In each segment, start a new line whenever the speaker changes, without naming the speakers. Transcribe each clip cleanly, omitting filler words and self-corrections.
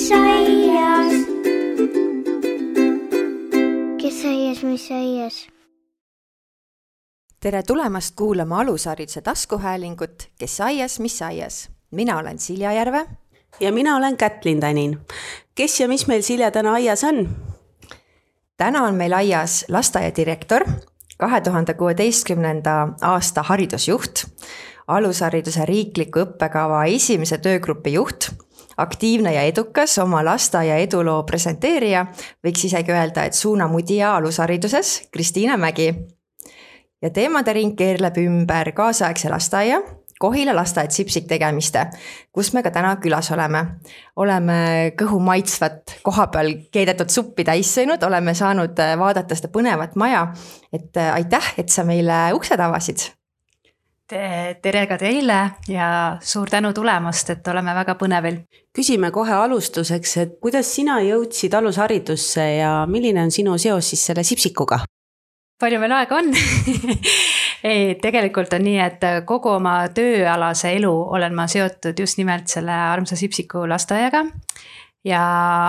aias? Kes aias, mis aias?
Tere tulemast kuulama alushariduse taskuhäälingut Kes aias, mis aias. Mina olen Silja Järve.
Ja mina olen Kätlin Tänin. Kes ja mis meil Silja täna aias on?
Täna on meil aias lasteaiadirektor, 2016. aasta haridusjuht, alushariduse riikliku õppekava esimese töögrupi juht, aktiivne ja edukas oma lasteaia eduloo presenteerija, võiks isegi öelda, et suunamudija alushariduses, Kristiina Mägi. Ja teemade ring keerleb ümber kaasaegse lasteaia, Kohila lasteaed Sipsik tegemiste, kus me ka täna külas oleme. Oleme kõhu maitsvat kohapeal keedetud suppi täis sõinud, oleme saanud vaadata seda põnevat maja. Et aitäh, et sa meile uksed avasid.
Tere ka teile ja suur tänu tulemast, et oleme väga põnevil.
Küsime kohe alustuseks, et kuidas sina jõudsid alusharidusse ja milline on sinu seos siis selle Sipsikuga?
Palju meil aega on? Ei, tegelikult on nii, et kogu oma tööalase elu olen ma seotud just nimelt selle armsa Sipsiku lasteaiaga. Ja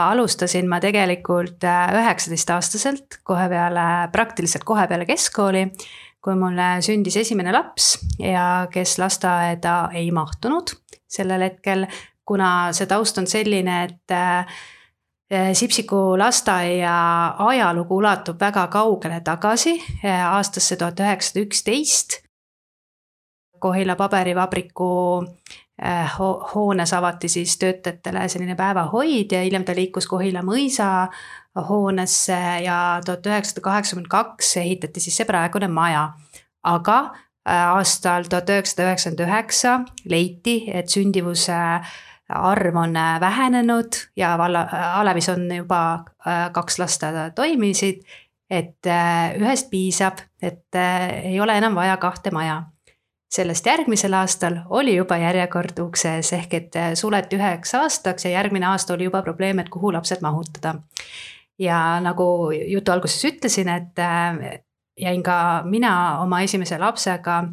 alustasin ma tegelikult 19-aastaselt praktiliselt kohe peale keskkooli, kui mulle sündis esimene laps ja kes lasteaeda ei mahtunud sellel hetkel, kuna see taust on selline, et Sipsiku lasteaia ajalugu ulatub väga kaugele tagasi, aastasse 1911. Kohila paberivabriku hoones avati siis töötajatele selline päevahoid ja hiljem ta liikus Kohila mõisa hoonesse ja 1982 ehitati siis see praegune maja. Aga aastal 1999 leiti, et sündivuse arv on vähenenud ja Alevis on juba 2 lasteaeda toimisid, et ühest piisab, et ei ole enam vaja 2 maja. Sellest järgmisel aastal oli juba järjekord ukses ehk et suleti 1 aastaks ja järgmine aasta oli juba probleem, et kuhu lapsed mahutada. Ja nagu jutu alguses ütlesin, et jäin ka mina oma esimese lapsega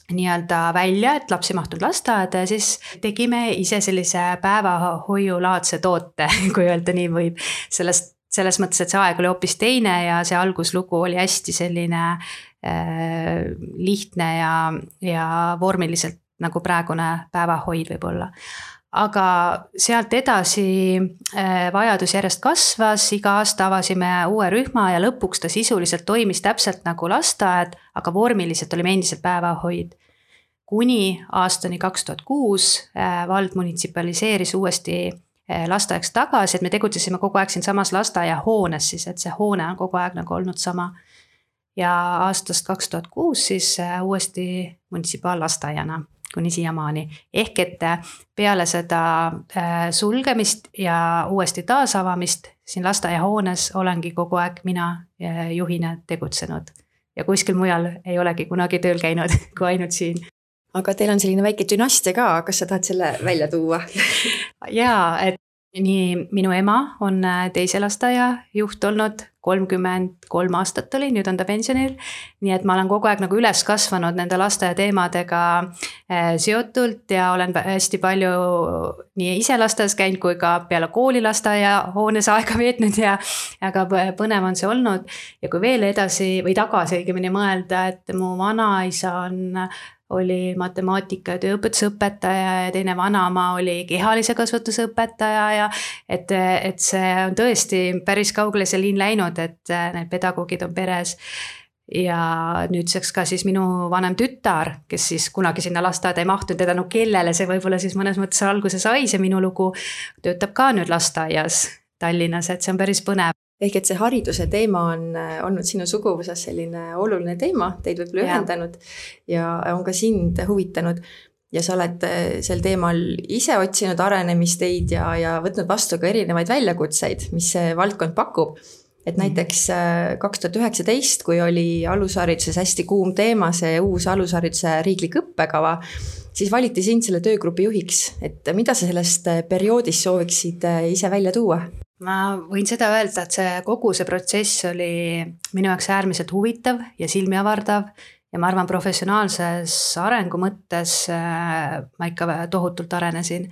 nii-öelda välja, et lapsi mahtud lasteaeda ja siis tegime ise sellise päevahoiulaadse toote, kui öelda nii võib. Selles mõttes, et see aeg oli hoopis teine ja see alguslugu oli hästi selline lihtne ja vormiliselt nagu praegune päevahoid võib olla. Aga sealt edasi vajadus järjest kasvas, iga aasta avasime uue rühma ja lõpuks ta sisuliselt toimis täpselt nagu lasteaed, aga vormiliselt olime endiselt päevahoid. Kuni aastani 2006 vald munitsipaliseeris uuesti lasteaeks tagasi, et me tegutsesime kogu aeg siin samas lasteaia hoones siis, et see hoone on kogu aeg nagu olnud sama. Ja aastast 2006 siis uuesti munitsipaallasteaiana kuni siiamaani. Ehk et peale seda sulgemist ja uuesti taasavamist siin lasteaia hoones olengi kogu aeg mina juhina tegutsenud. Ja kuskil mujal ei olegi kunagi tööl käinud, kui ainult siin.
Aga teil on selline väike dünastia ka, kas sa tahad selle välja tuua?
Jaa, et nii minu ema on teise lasteaia juht olnud, 33 aastat oli, nüüd on ta pensionil. Nii et ma olen kogu aeg nagu üles kasvanud nende lasteaia teemadega seotult ja olen hästi palju nii ise lasteaias käinud kui ka peale kooli lasteaia hoones aega veetnud ja aga põnev on see olnud. Ja kui veel edasi või tagasi õigemini mõelda, et mu vanaisa oli matemaatika ja tööõpetusõpetaja ja teine vanaema oli kehalise kasvatuse õpetaja ja et see on tõesti päris kaugele see liin läinud, et need pedagoogid on peres. Ja nüüdseks ka siis minu vanem tütar, kes siis kunagi sinna lasteaeda ei mahtunud, teda kellele see võib-olla siis mõnes mõttes alguse sai, see minu lugu töötab ka nüüd lasteaias Tallinnas, et see on päris põnev.
Ehk et see hariduse teema on olnud sinu suguvuses selline oluline teema, teid võib-olla ühendanud ja on ka sind huvitanud. Ja sa oled sel teemal ise otsinud arenemisteid ja võtnud vastu ka erinevaid väljakutseid, mis see valdkond pakub. Et näiteks 2019, kui oli alushariduses hästi kuum teema, see uus alushariduse riiklik õppekava, siis valiti sind selle töögrupi juhiks. Et mida sa sellest perioodist sooviksid ise välja tuua?
Ma võin seda öelda, et kogu see protsess oli minu jaoks äärmiselt huvitav ja silmi avardav ja ma arvan, professionaalses arengu mõttes ma ikka tohutult arenesin.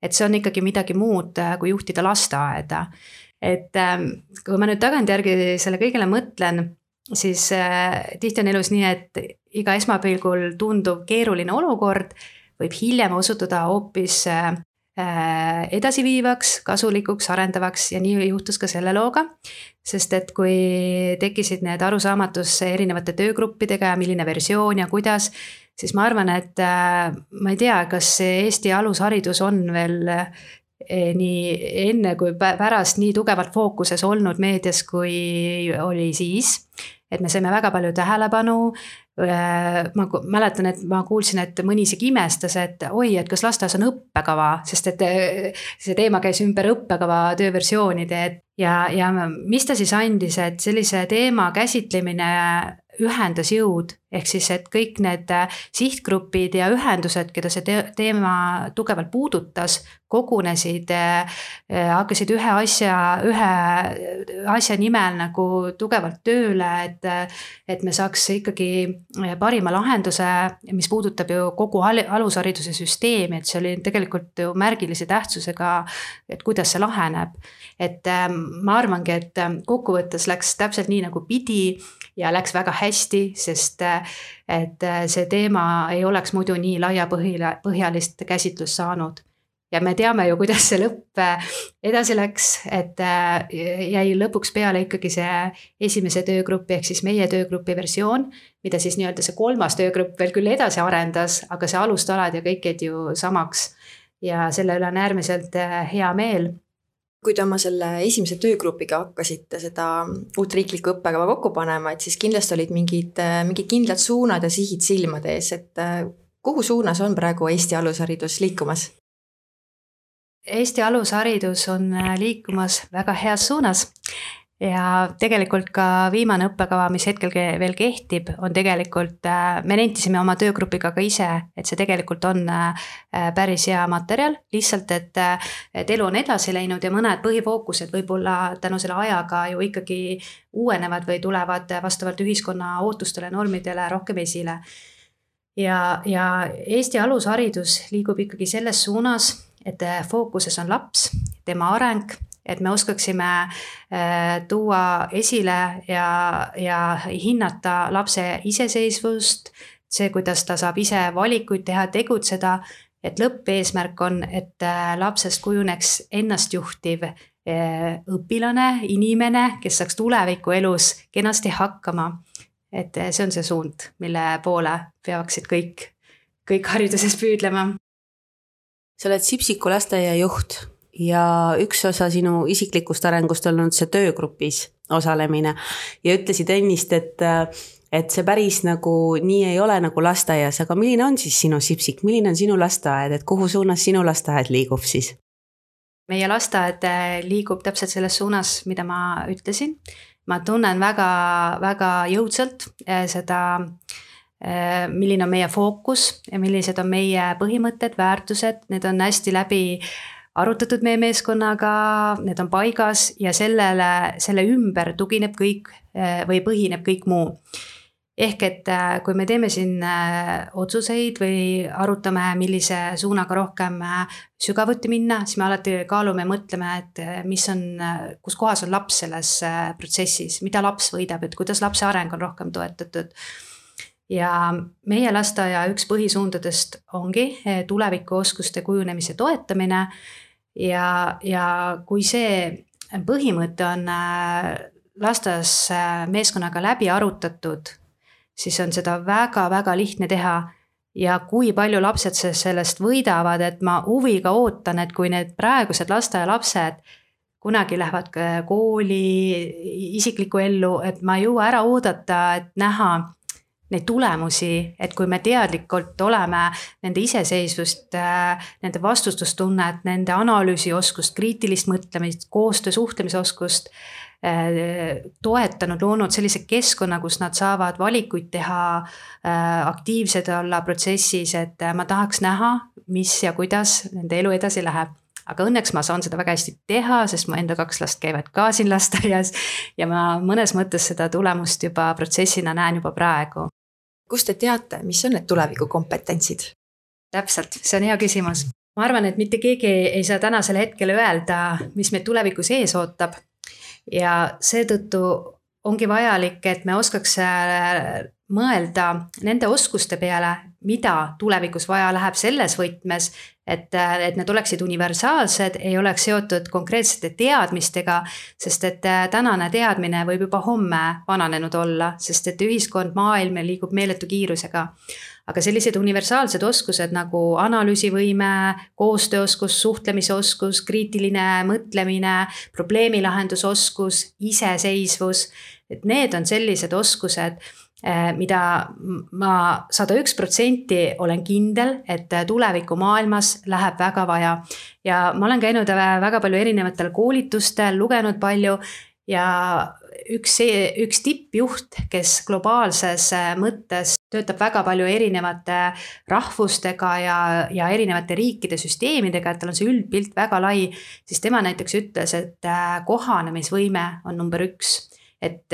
Et see on ikkagi midagi muud, kui juhtida lasteaeda. Et kui ma nüüd tagantjärgi selle kõigele mõtlen, siis tihti on elus nii, et iga esmapilgul tunduv keeruline olukord võib hiljem osutuda hoopis edasiviivaks, kasulikuks, arendavaks ja nii juhtus ka selle looga. Sest et kui tekkisid need arusaamatus erinevate töögruppidega ja milline versioon ja kuidas, siis ma arvan, et ma ei tea, kas Eesti alusharidus on veel nii enne kui pärast nii tugevalt fookuses olnud meedias, kui oli siis. Et me saime väga palju tähelepanu. Ma mäletan, et ma kuulsin, et mõni isegi imestas, et oi, et kas lasteaias on õppekava, sest et see teema käis ümber õppekava tööversioonide. Ja mis ta siis andis, et sellise teema käsitlemine ühendas jõud, ehk siis, et kõik need sihtgrupid ja ühendused, keda see teema tugevalt puudutas, kogunesid, hakkasid ühe asja nimel nagu tugevalt tööle, et me saaks ikkagi parima lahenduse, mis puudutab ju kogu alushariduse süsteemi, et see oli tegelikult ju märgilise tähtsusega, et kuidas see laheneb. Et ma arvangi, et kokkuvõttes läks täpselt nii nagu pidi ja läks väga hästi, sest et see teema ei oleks muidu nii laiapõhjalist käsitlust saanud. Ja me teame ju, kuidas see lõpp edasi läks, et jäi lõpuks peale ikkagi see esimese töögrupi ehk siis meie töögrupi versioon, mida siis nii-öelda see 3. töögrupp veel küll edasi arendas, aga see alustalad ja kõik jäid ju samaks ja selle üle on äärmiselt hea meel.
Kui te oma selle esimese töögrupiga hakkasite seda uut riiklikku õppekava kokku panema, et siis kindlasti olid mingid kindlad suunad ja sihid silmade ees, et kuhu suunas on praegu Eesti alusharidus liikumas?
Eesti alusharidus on liikumas väga heas suunas ja tegelikult ka viimane õppekava, mis hetkel veel kehtib, on tegelikult, me nentisime oma töögrupiga ka ise, et see tegelikult on päris hea materjal, lihtsalt, et elu on edasi läinud ja mõned põhifookused võib-olla tänu selle ajaga ju ikkagi uuenevad või tulevad vastavalt ühiskonna ootustele, normidele rohkem esile. Ja Eesti alusharidus liigub ikkagi selles suunas, et fookuses on laps, tema areng, et me oskaksime tuua esile ja hinnata lapse iseseisvust, see, kuidas ta saab ise valikuid teha, tegutseda, et lõppeesmärk on, et lapsest kujuneks ennastjuhtiv õpilane, inimene, kes saaks tuleviku elus kenasti hakkama. Et see on see suund, mille poole peaksid kõik hariduses püüdlema.
Sa oled Sipsiku lasteaia juht ja üks osa sinu isiklikust arengust on olnud see töögrupis osalemine ja ütlesid ennist, et see päris nagu nii ei ole nagu lasteaias, aga milline on siis sinu Sipsik, milline on sinu lasteaed, et kuhu suunas sinu lasteaed liigub siis?
Meie lasteaed liigub täpselt selles suunas, mida ma ütlesin. Ma tunnen väga, väga jõudsalt seda, milline on meie fookus ja millised on meie põhimõtted, väärtused, need on hästi läbi arutatud meie meeskonnaga, need on paigas ja selle ümber tugineb kõik või põhineb kõik muu. Ehk et kui me teeme siin otsuseid või arutame, millise suunaga rohkem sügavuti minna, siis me alati kaalume ja mõtleme, et kus kohas on laps selles protsessis, mida laps võidab, et kuidas lapse areng on rohkem toetatud. Ja meie lasteaia üks põhisuundadest ongi tulevikuoskuste kujunemise toetamine ja kui see põhimõte on lasteaias meeskonnaga läbi arutatud, siis on seda väga-väga lihtne teha ja kui palju lapsed sellest võidavad, et ma huviga ootan, et kui need praegused lasteaia lapsed kunagi lähevad kooli, isiklikku ellu, et ma ei jõua ära oodata, et näha neid tulemusi, et kui me teadlikult oleme nende iseseisvust, nende vastustustunnet, nende analüüsioskust, kriitilist mõtlemist, koostöö suhtlemisoskust toetanud, loonud sellise keskkonna, kus nad saavad valikuid teha, aktiivsed olla protsessis, et ma tahaks näha, mis ja kuidas nende elu edasi läheb. Aga õnneks ma saan seda väga hästi teha, sest mu enda 2 last käivad ka siin lasteaias ja ma mõnes mõttes seda tulemust juba protsessina näen juba praegu.
Kust te teate, mis on need tulevikukompetentsid?
Täpselt, see on hea küsimus. Ma arvan, et mitte keegi ei saa tänasel hetkel öelda, mis meid tulevikus ees ootab. Ja seetõttu ongi vajalik, et me oskaks mõelda nende oskuste peale, mida tulevikus vaja läheb selles võtmes, et need oleksid universaalsed, ei oleks seotud konkreetsete teadmistega, sest et tänane teadmine võib juba homme vananenud olla, sest et ühiskond, maailm liigub meeletu kiirusega. Aga sellised universaalsed oskused nagu analüüsivõime, koostööoskus, suhtlemisoskus, kriitiline mõtlemine, probleemilahendusoskus, iseseisvus, et need on sellised oskused, mida ma 101% olen kindel, et tuleviku maailmas läheb väga vaja. Ja ma olen käinud väga palju erinevatel koolitustel, lugenud palju ja üks tippjuht, kes globaalses mõttes töötab väga palju erinevate rahvustega ja erinevate riikide süsteemidega, et tal on see üldpilt väga lai, siis tema näiteks ütles, et kohanemisvõime on number 1. Et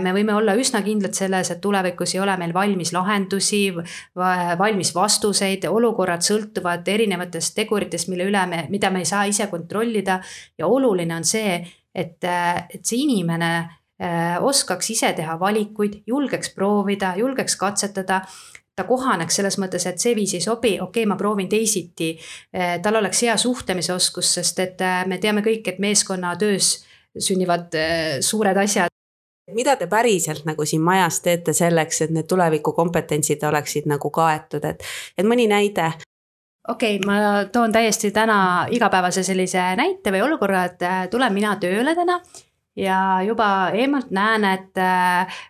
me võime olla üsna kindlad selles, et tulevikus ei ole meil valmis lahendusi, valmis vastuseid, olukorrad sõltuvad erinevatest teguritest, mida me ei saa ise kontrollida ja oluline on see, et see inimene oskaks ise teha valikuid, julgeks proovida, julgeks katsetada, ta kohaneks selles mõttes, et see viis ei sobi, okei, ma proovin teisiti, tal oleks hea suhtlemisoskus, sest et me teame kõik, et meeskonna töös sünnivad suured asjad.
Mida te päriselt nagu siin majas teete selleks, et need tulevikukompetentsid oleksid nagu kaetud, et mõni näide?
Okei, ma toon täiesti täna igapäevase sellise näite või olukorra, et tulen mina tööle täna ja juba eemalt näen, et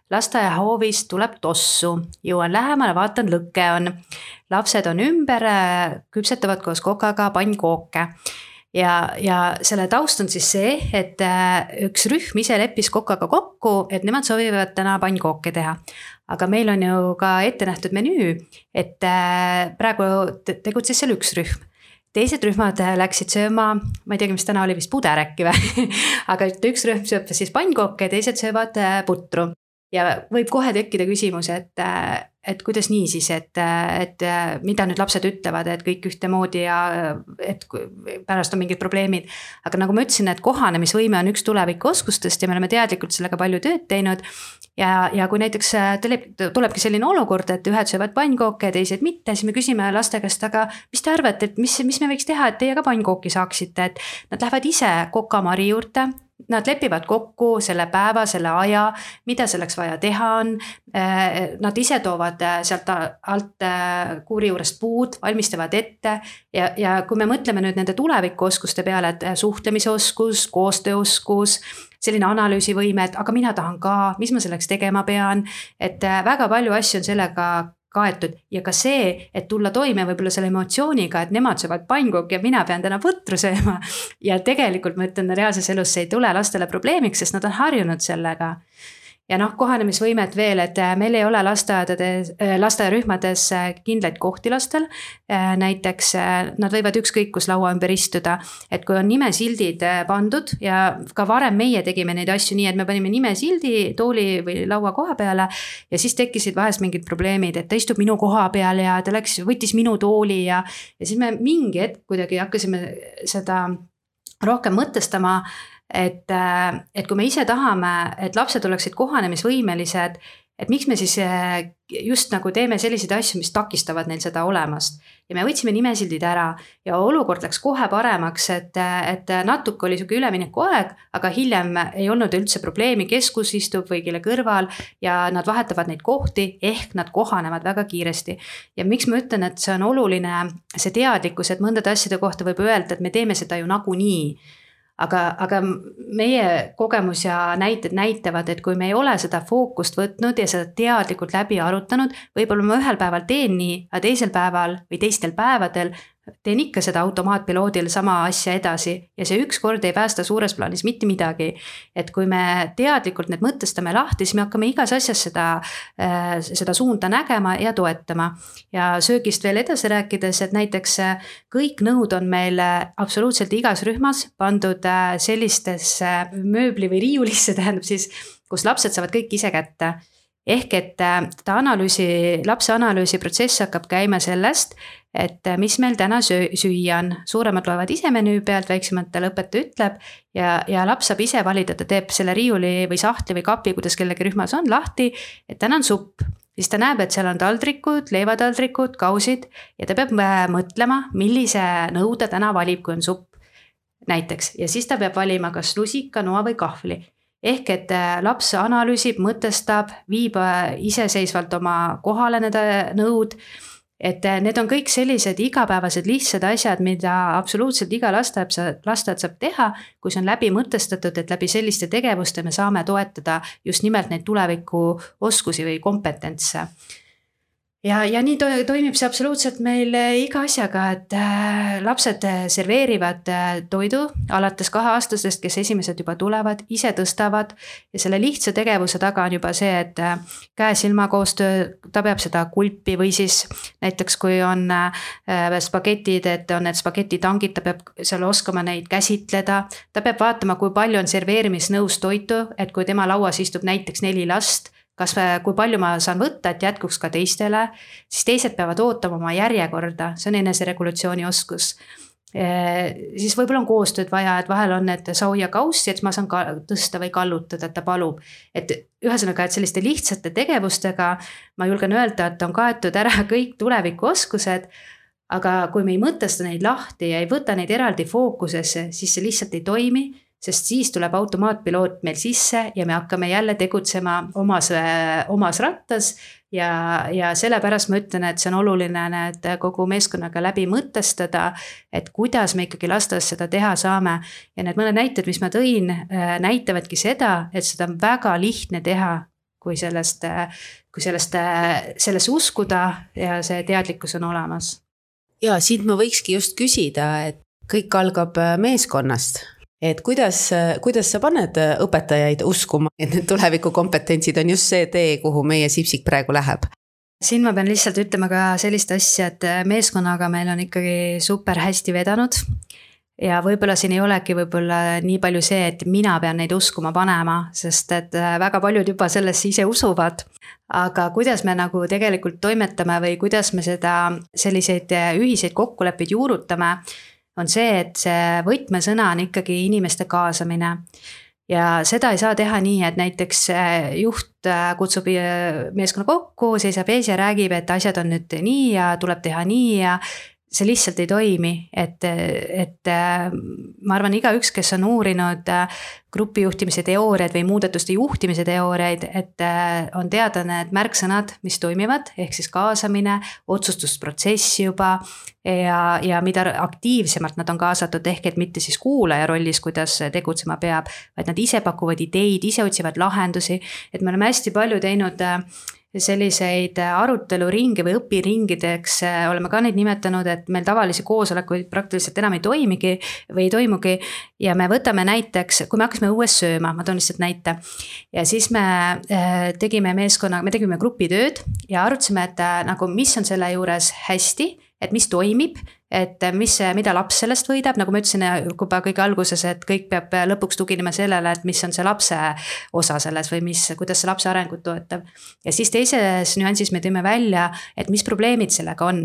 lasteaiahoovist tuleb tossu. Jõuan lähemale, vaatan, lõkke on. Lapsed on ümber, küpsetavad koos kokaga pannkooke. Ja selle taust on siis see, et üks rühm ise leppis kokaga kokku, et nemad soovivad täna pannkooke teha. Aga meil on ju ka ette nähtud menüü, et praegu tegutses seal üks rühm. Teised rühmad läksid sööma, ma ei teagi, mis täna oli vist puderäkki või, aga üks rühm sööb siis pannkooke ja teised söövad putru. Ja võib kohe tekkida küsimus, et kuidas nii siis, et mida nüüd lapsed ütlevad, et kõik ühtemoodi ja et pärast on mingid probleemid. Aga nagu ma ütlesin, et kohanemisvõime on üks tulevikuoskustest ja me oleme teadlikult sellega palju tööd teinud. Ja kui näiteks tulebki selline olukord, et ühed söövad pannkooke ja teised mitte, siis me küsime laste käest, aga mis te arvate, et mis me võiks teha, et teie ka pannkooki saaksite, et nad lähevad ise kokamari juurde. Nad lepivad kokku selle päeva, selle aja, mida selleks vaja teha on. Nad ise toovad sealt alt kuuri juurest puud, valmistavad ette ja kui me mõtleme nüüd nende tulevikuoskuste peale, et suhtlemisoskus, koostööoskus, selline analüüsivõime, et aga mina tahan ka, mis ma selleks tegema pean, et väga palju asju on sellega kaetud ja ka see, et tulla toime võib-olla selle emotsiooniga, et nemad söövad pannkooki ja mina pean täna putru sööma ja tegelikult ma ütlen, reaalses elus see ei tule lastele probleemiks, sest nad on harjunud sellega. Ja kohanemisvõimet veel, et meil ei ole lasteaiarühmades kindlaid kohti lastel. Näiteks nad võivad ükskõik kus laua ümber istuda, et kui on nimesildid pandud ja ka varem meie tegime neid asju nii, et me panime nimesildi tooli või laua koha peale ja siis tekkisid vahest mingid probleemid, et ta istub minu koha peal ja ta võttis minu tooli ja siis me mingi hetk kuidagi hakkasime seda rohkem mõtestama, et kui me ise tahame, et lapsed oleksid kohanemisvõimelised, et miks me siis just nagu teeme selliseid asju, mis takistavad neil seda olemast. Ja me võtsime nimesildid ära ja olukord läks kohe paremaks, et natuke oli selline ülemineku aeg, aga hiljem ei olnud üldse probleemi, keskus istub või kelle kõrval ja nad vahetavad neid kohti, ehk nad kohanevad väga kiiresti. Ja miks ma ütlen, et see on oluline, see teadlikkus, et mõndade asjade kohta võib öelda, et me teeme seda ju nagunii. Aga meie kogemus ja näited näitavad, et kui me ei ole seda fookust võtnud ja seda teadlikult läbi arutanud, võib-olla ma ühel päeval teen nii, aga teisel päeval või teistel päevadel teen ikka seda automaatpiloodil sama asja edasi ja see üks kord ei päästa suures plaanis mitte midagi. Et kui me teadlikult need mõtestame lahti, siis me hakkame igas asjas seda suunda nägema ja toetama. Ja söögist veel edasi rääkides, et näiteks kõik nõud on meil absoluutselt igas rühmas pandud sellistesse mööbli või riiulisse, tähendab siis, kus lapsed saavad kõik ise kätte. ehk et lapse analüüsi protsess hakkab käima sellest, et mis meil täna süüa on. Suuremad loevad ise menüü pealt, väiksematele õpetaja ütleb ja laps saab ise valida, ta teeb selle riiuli või sahtli või kapi, kuidas kellegi rühmas on lahti, et täna on supp. Siis ta näeb, et seal on taldrikud, leivataldrikud, kausid ja ta peab mõtlema, millise nõu ta täna valib, kui on supp näiteks. Ja siis ta peab valima kas lusika, noa või kahvli. Ehk et laps analüüsib, mõtestab, viib iseseisvalt oma kohale need nõud. Et need on kõik sellised igapäevased lihtsad asjad, mida absoluutselt iga lasteaed saab teha, kui see on läbi mõtestatud, et läbi selliste tegevuste me saame toetada just nimelt neid tuleviku oskusi või kompetentse. Ja nii toimib see absoluutselt meil iga asjaga, et lapsed serveerivad toidu alates 2-aastastest, kes esimesed juba tulevad, ise tõstavad ja selle lihtsa tegevuse taga on juba see, et käe-silma koostöö, ta peab seda kulpi või siis näiteks kui on spagetid, et on need spagetitangid, ta peab seal oskama neid käsitleda, ta peab vaatama, kui palju on serveerimisnõus toitu, et kui tema lauas istub näiteks 4 last, kui palju ma saan võtta, et jätkuks ka teistele, siis teised peavad ootama oma järjekorda, see on eneseregulatsiooni oskus. Siis võib-olla on koostööd vaja, et vahel on need sauja kaussi, et ma saan tõsta või kallutada, et ta palub. Et ühesõnaga, et selliste lihtsate tegevustega ma julgen öelda, et on kaetud ära kõik tuleviku oskused, aga kui me ei mõtesta neid lahti ja ei võta neid eraldi fookusesse, siis see lihtsalt ei toimi, sest siis tuleb automaatpiloot meil sisse ja me hakkame jälle tegutsema omas rattas ja sellepärast ma ütlen, et see on oluline need kogu meeskonnaga läbi mõtestada, et kuidas me ikkagi lasteaias seda teha saame. Ja need mõned näited, mis ma tõin, näitavadki seda, et seda on väga lihtne teha, kui sellest uskuda ja see teadlikkus on olemas.
Ja siit ma võikski just küsida, et kõik algab meeskonnast. Et kuidas sa paned õpetajaid uskuma, et need tulevikukompetentsid on just see tee, kuhu meie Sipsik praegu läheb?
Siin ma pean lihtsalt ütlema ka sellist asja, et meeskonnaga meil on ikkagi super hästi vedanud ja võib-olla siin ei olegi nii palju see, et mina pean neid uskuma panema, sest et väga paljud juba sellesse ise usuvad. Aga kuidas me nagu tegelikult toimetame või kuidas me selliseid ühiseid kokkuleppeid juurutame, on see, et see võtmesõna on ikkagi inimeste kaasamine ja seda ei saa teha nii, et näiteks juht kutsub meeskonna kokku, seisab ees ja räägib, et asjad on nüüd nii ja tuleb teha nii ja see lihtsalt ei toimi, et ma arvan, igaüks, kes on uurinud grupijuhtimise teooriaid või muudatuste juhtimise teooriaid, et on teada need märksõnad, mis toimivad, ehk siis kaasamine, otsustusprotsess juba ja mida aktiivsemalt nad on kaasatud, ehk et mitte siis kuulaja rollis, kuidas tegutsema peab, vaid nad ise pakuvad ideid, ise otsivad lahendusi, et me oleme hästi palju teinud selliseid aruteluringe või õpiringideks, oleme ka neid nimetanud, et meil tavalisi koosolekuid praktiliselt enam ei toimugi ja me võtame näiteks, kui me hakkasime õues sööma, ma toon lihtsalt näite ja siis me tegime grupitööd ja arutasime, et nagu mis on selle juures hästi, et mis toimib, et mida laps sellest võidab, nagu ma ütlesin juba kõige alguses, et kõik peab lõpuks tuginema sellele, et mis on see lapse osa selles või kuidas see lapse arengut toetab. Ja siis teises nüansis me tõime välja, et mis probleemid sellega on,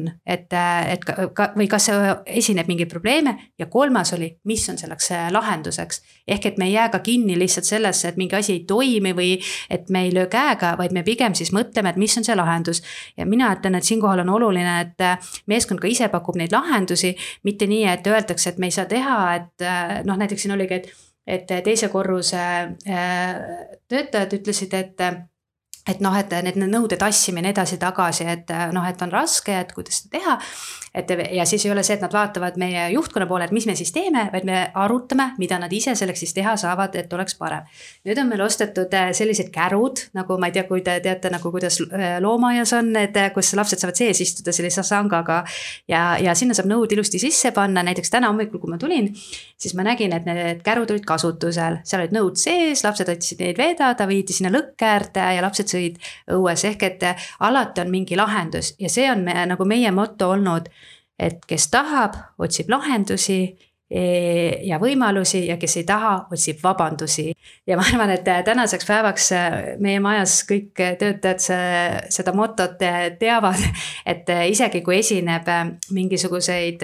või kas esineb mingeid probleeme ja kolmas oli, mis on selleks lahenduseks. Ehk et me ei jää ka kinni lihtsalt sellesse, et mingi asi ei toimi või et me ei löö käega, vaid me pigem siis mõtleme, et mis on see lahendus. Ja mina ütlen, et siinkohal on oluline, et meeskond ka ise pakub neid lahendusi, mitte nii, et öeldakse, et me ei saa teha, et näiteks siin oligi, et teise korruse töötajad ütlesid, et need nõude tassimine edasi tagasi, et on raske, et kuidas seda teha. Ja siis ei ole see, et nad vaatavad meie juhtkonna poole, et mis me siis teeme, vaid me arutame, mida nad ise selleks siis teha saavad, et oleks parem. Nüüd on meil ostetud sellised kärud, nagu ma ei tea, kui te teate, nagu kuidas loomaaias on, kus lapsed saavad sees istuda sellise sangaga ja sinna saab nõud ilusti sisse panna. Näiteks täna hommikul, kui ma tulin, siis ma nägin, et need kärud olid kasutusel, seal olid nõud sees, lapsed otsisid neid vedada, viidi sinna lõkkäärde ja lapsed sõid õues, ehk et alati on mingi lahendus ja see on nagu meie motto olnud, et kes tahab, otsib lahendusi ja võimalusi ja kes ei taha, otsib vabandusi. Ja ma arvan, et tänaseks päevaks meie majas kõik töötajad seda motot teavad, et isegi kui esineb mingisuguseid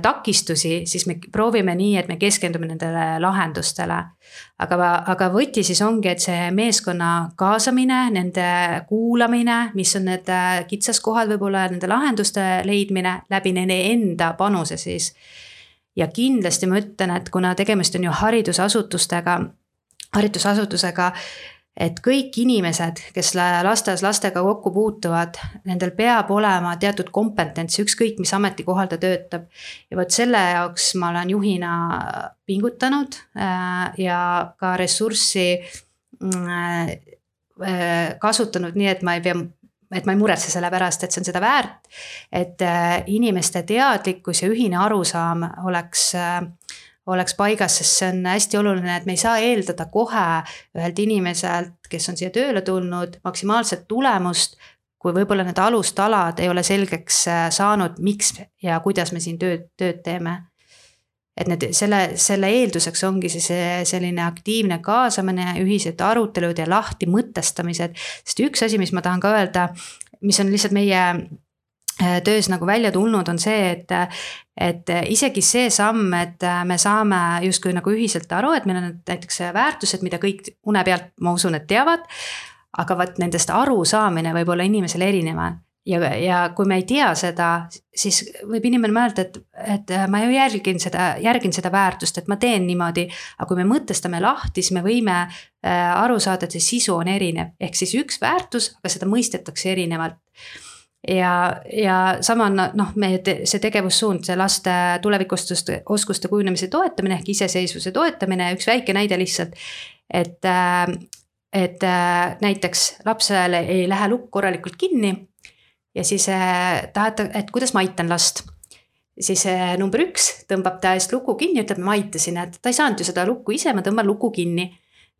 takistusi, siis me proovime nii, et me keskendume nendele lahendustele. Aga võti siis ongi, et see meeskonna kaasamine, nende kuulamine, mis on need kitsaskohad võib-olla, nende lahenduste leidmine läbi nende enda panuse siis. Ja kindlasti ma ütlen, et kuna tegemist on ju haridusasutusega, et kõik inimesed, kes lasteaias lastega kokku puutuvad, nendel peab olema teatud kompetents, ükskõik mis ametikohal ta töötab. Ja võt selle jaoks ma olen juhina pingutanud ja ka ressurssi kasutanud nii, et ma ei muretse selle pärast, et see on seda väärt, et inimeste teadlikkus ja ühine arusaam oleks paigas, sest see on hästi oluline, et me ei saa eeldada kohe ühelt inimeselt, kes on siia tööle tulnud, maksimaalset tulemust, kui võib-olla need alustalad ei ole selgeks saanud, miks ja kuidas me siin tööd teeme. Et selle eelduseks ongi selline aktiivne kaasamine, ühised arutelud ja lahti mõtestamised, sest üks asi, mis ma tahan ka öelda, mis on lihtsalt meie töös nagu välja tulnud, on see, et isegi see samm, et me saame justkui nagu ühiselt aru, et meil on näiteks väärtused, mida kõik une pealt, ma usun, et teavad, aga vaat nendest aru saamine võib olla inimesele erineva. Ja kui me ei tea seda, siis võib inimene mõelda, et ma ju järgin seda väärtust, et ma teen niimoodi, aga kui me mõtestame lahti, siis me võime aru saada, et see sisu on erinev, ehk siis üks väärtus, aga seda mõistetakse erinevalt. Ja sama on see tegevussuund, see laste tulevikusoskuste kujunemise toetamine ehk iseseisvuse toetamine, üks väike näide lihtsalt, et näiteks lapsele ei lähe lukk korralikult kinni ja siis tahate, et kuidas ma aitan last. Siis number 1 tõmbab ta eest luku kinni, ütleb, ma aitasin, et ta ei saanud ju seda lukku ise, ma tõmban luku kinni.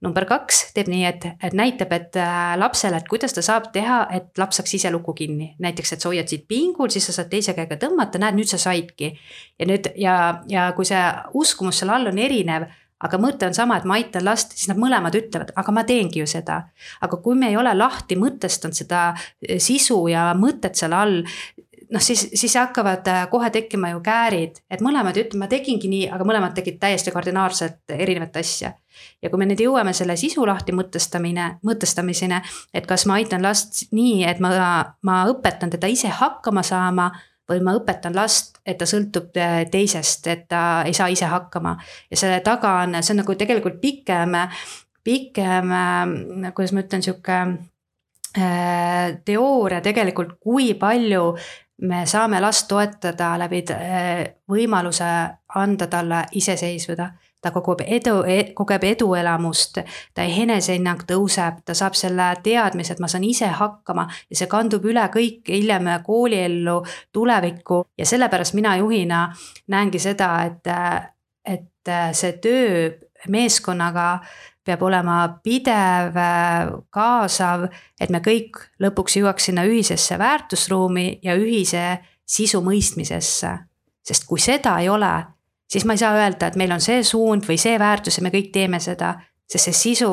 Number 2 teeb nii, et näitab, et lapsele, et kuidas ta saab teha, et laps saaks ise luku kinni. Näiteks, et sa hoiad siit pingul, siis sa saad teise käega tõmmata, näed, nüüd sa saidki. Ja kui see uskumus seal all on erinev, aga mõte on sama, et ma aitan last, siis nad mõlemad ütlevad, aga ma teengi ju seda. Aga kui me ei ole lahti mõtestanud seda sisu ja mõtet seal all, siis hakkavad kohe tekkima ju käärid, et mõlemad ütlevad, ma tegingi nii, aga mõlemad tegid täiesti kardinaalselt erinevat asja. Ja kui me nüüd jõuame selle sisu lahti mõtestamiseni, et kas ma aitan last nii, et ma õpetan teda ise hakkama saama, või ma õpetan last, et ta sõltub teisest, et ta ei saa ise hakkama. Ja selle taga on, see on nagu tegelikult pikem, kuidas ma ütlen, siuke teooria tegelikult, kui palju me saame last toetada läbi võimaluse anda talle iseseisvuda. Ta kogeb eduelamust, ta enesehinnang tõuseb, ta saab selle teadmise, et ma saan ise hakkama ja see kandub üle kõik hiljem kooliellu, tulevikku ja sellepärast mina juhina näengi seda, et see töö meeskonnaga peab olema pidev, kaasav, et me kõik lõpuks jõuaks sinna ühisesse väärtusruumi ja ühise sisu mõistmisesse, sest kui seda ei ole, siis ma ei saa öelda, et meil on see suund või see väärtus ja me kõik teeme seda, sest see sisu,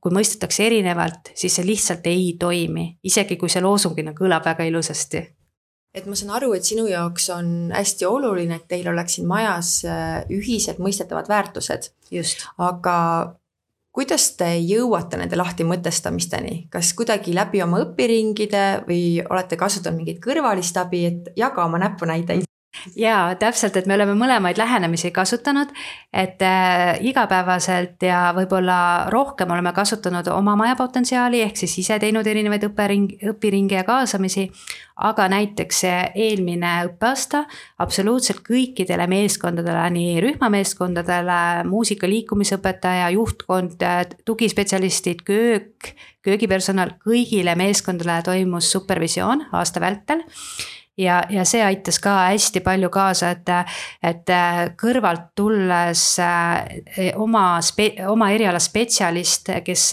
kui mõistetakse erinevalt, siis see lihtsalt ei toimi, isegi kui see loosungina kõlab väga ilusasti.
Et ma saan aru, et sinu jaoks on hästi oluline, et teil oleks siin majas ühiselt mõistetavad väärtused.
Just.
Aga kuidas te jõuate nende lahti mõtestamisteni? Kas kuidagi läbi oma õpiringide või olete kasutanud mingit kõrvalist abi, et jaga oma näpunäiteid?
Jaa, täpselt, et me oleme mõlemaid lähenemisi kasutanud, et igapäevaselt ja võib-olla rohkem oleme kasutanud oma maja potentsiaali, ehk siis ise teinud erinevaid õpiringi ja kaasamisi, aga näiteks eelmine õppeaasta absoluutselt kõikidele meeskondadele, nii rühmameeskondadele, muusika liikumisõpetaja, juhtkond, tugispetsialistid, köögipersonal, kõigile meeskondadele toimus supervisioon aasta vältel. Ja see aitas ka hästi palju kaasa, et kõrvalt tulles oma eriala spetsialist, kes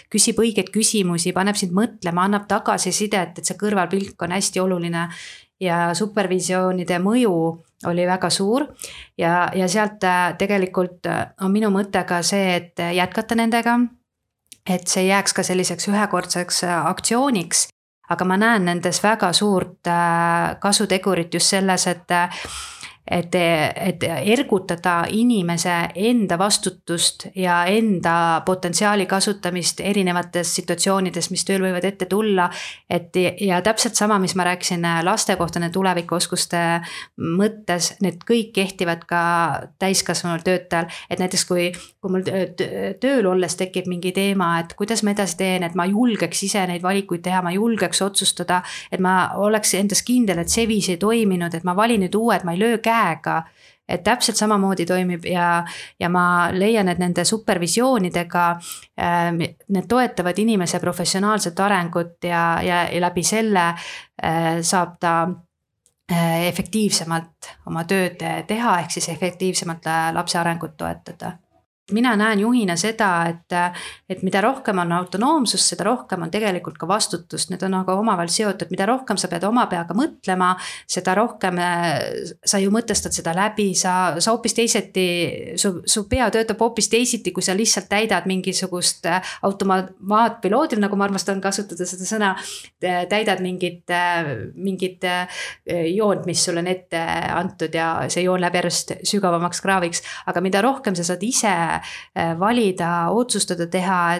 küsib õigeid küsimusi, paneb sind mõtlema, annab tagasisidet, et see kõrvalpilk on hästi oluline. ja supervisioonide mõju oli väga suur ja sealt tegelikult on minu mõte ka see, et jätkata nendega, et see jääks ka selliseks ühekordseks aktsiooniks, aga ma näen nendes väga suurt kasutegurit just selles, et ergutada inimese enda vastutust ja enda potentsiaali kasutamist erinevates situatsioonides, mis tööl võivad ette tulla. Ja täpselt sama, mis ma rääkisin laste kohta, need tulevikuoskuste mõttes, need kõik kehtivad ka täiskasvanud töötajal. Et näiteks kui mul tööl olles tekib mingi teema, et kuidas ma edasi teen, et ma julgeks ise neid valikuid teha, ma julgeks otsustada, et ma oleks endas kindel, et see viis ei toiminud, et ma valin nüüd uued, ma ei löö käega, et täpselt samamoodi toimib ja ma leian, et nende supervisioonidega need toetavad inimese professionaalset arengut ja läbi selle saab ta efektiivsemalt oma tööd teha, ehk siis efektiivsemalt lapse arengut toetada. Mina näen juhina seda, et mida rohkem on autonoomsust, seda rohkem on tegelikult ka vastutust. Need on aga omavahel seotud, mida rohkem sa pead oma peaga mõtlema, seda rohkem sa ju mõtestad seda läbi, sa hoopis teiseti, su pea töötab hoopis teisiti, kui sa lihtsalt täidad mingisugust automaatpiloodil, nagu ma armastan kasutada seda sõna, täidad mingit joont, mis sulle on ette antud ja see joon läheb järjest sügavamaks kraaviks, aga mida rohkem sa saad ise valida, otsustada teha,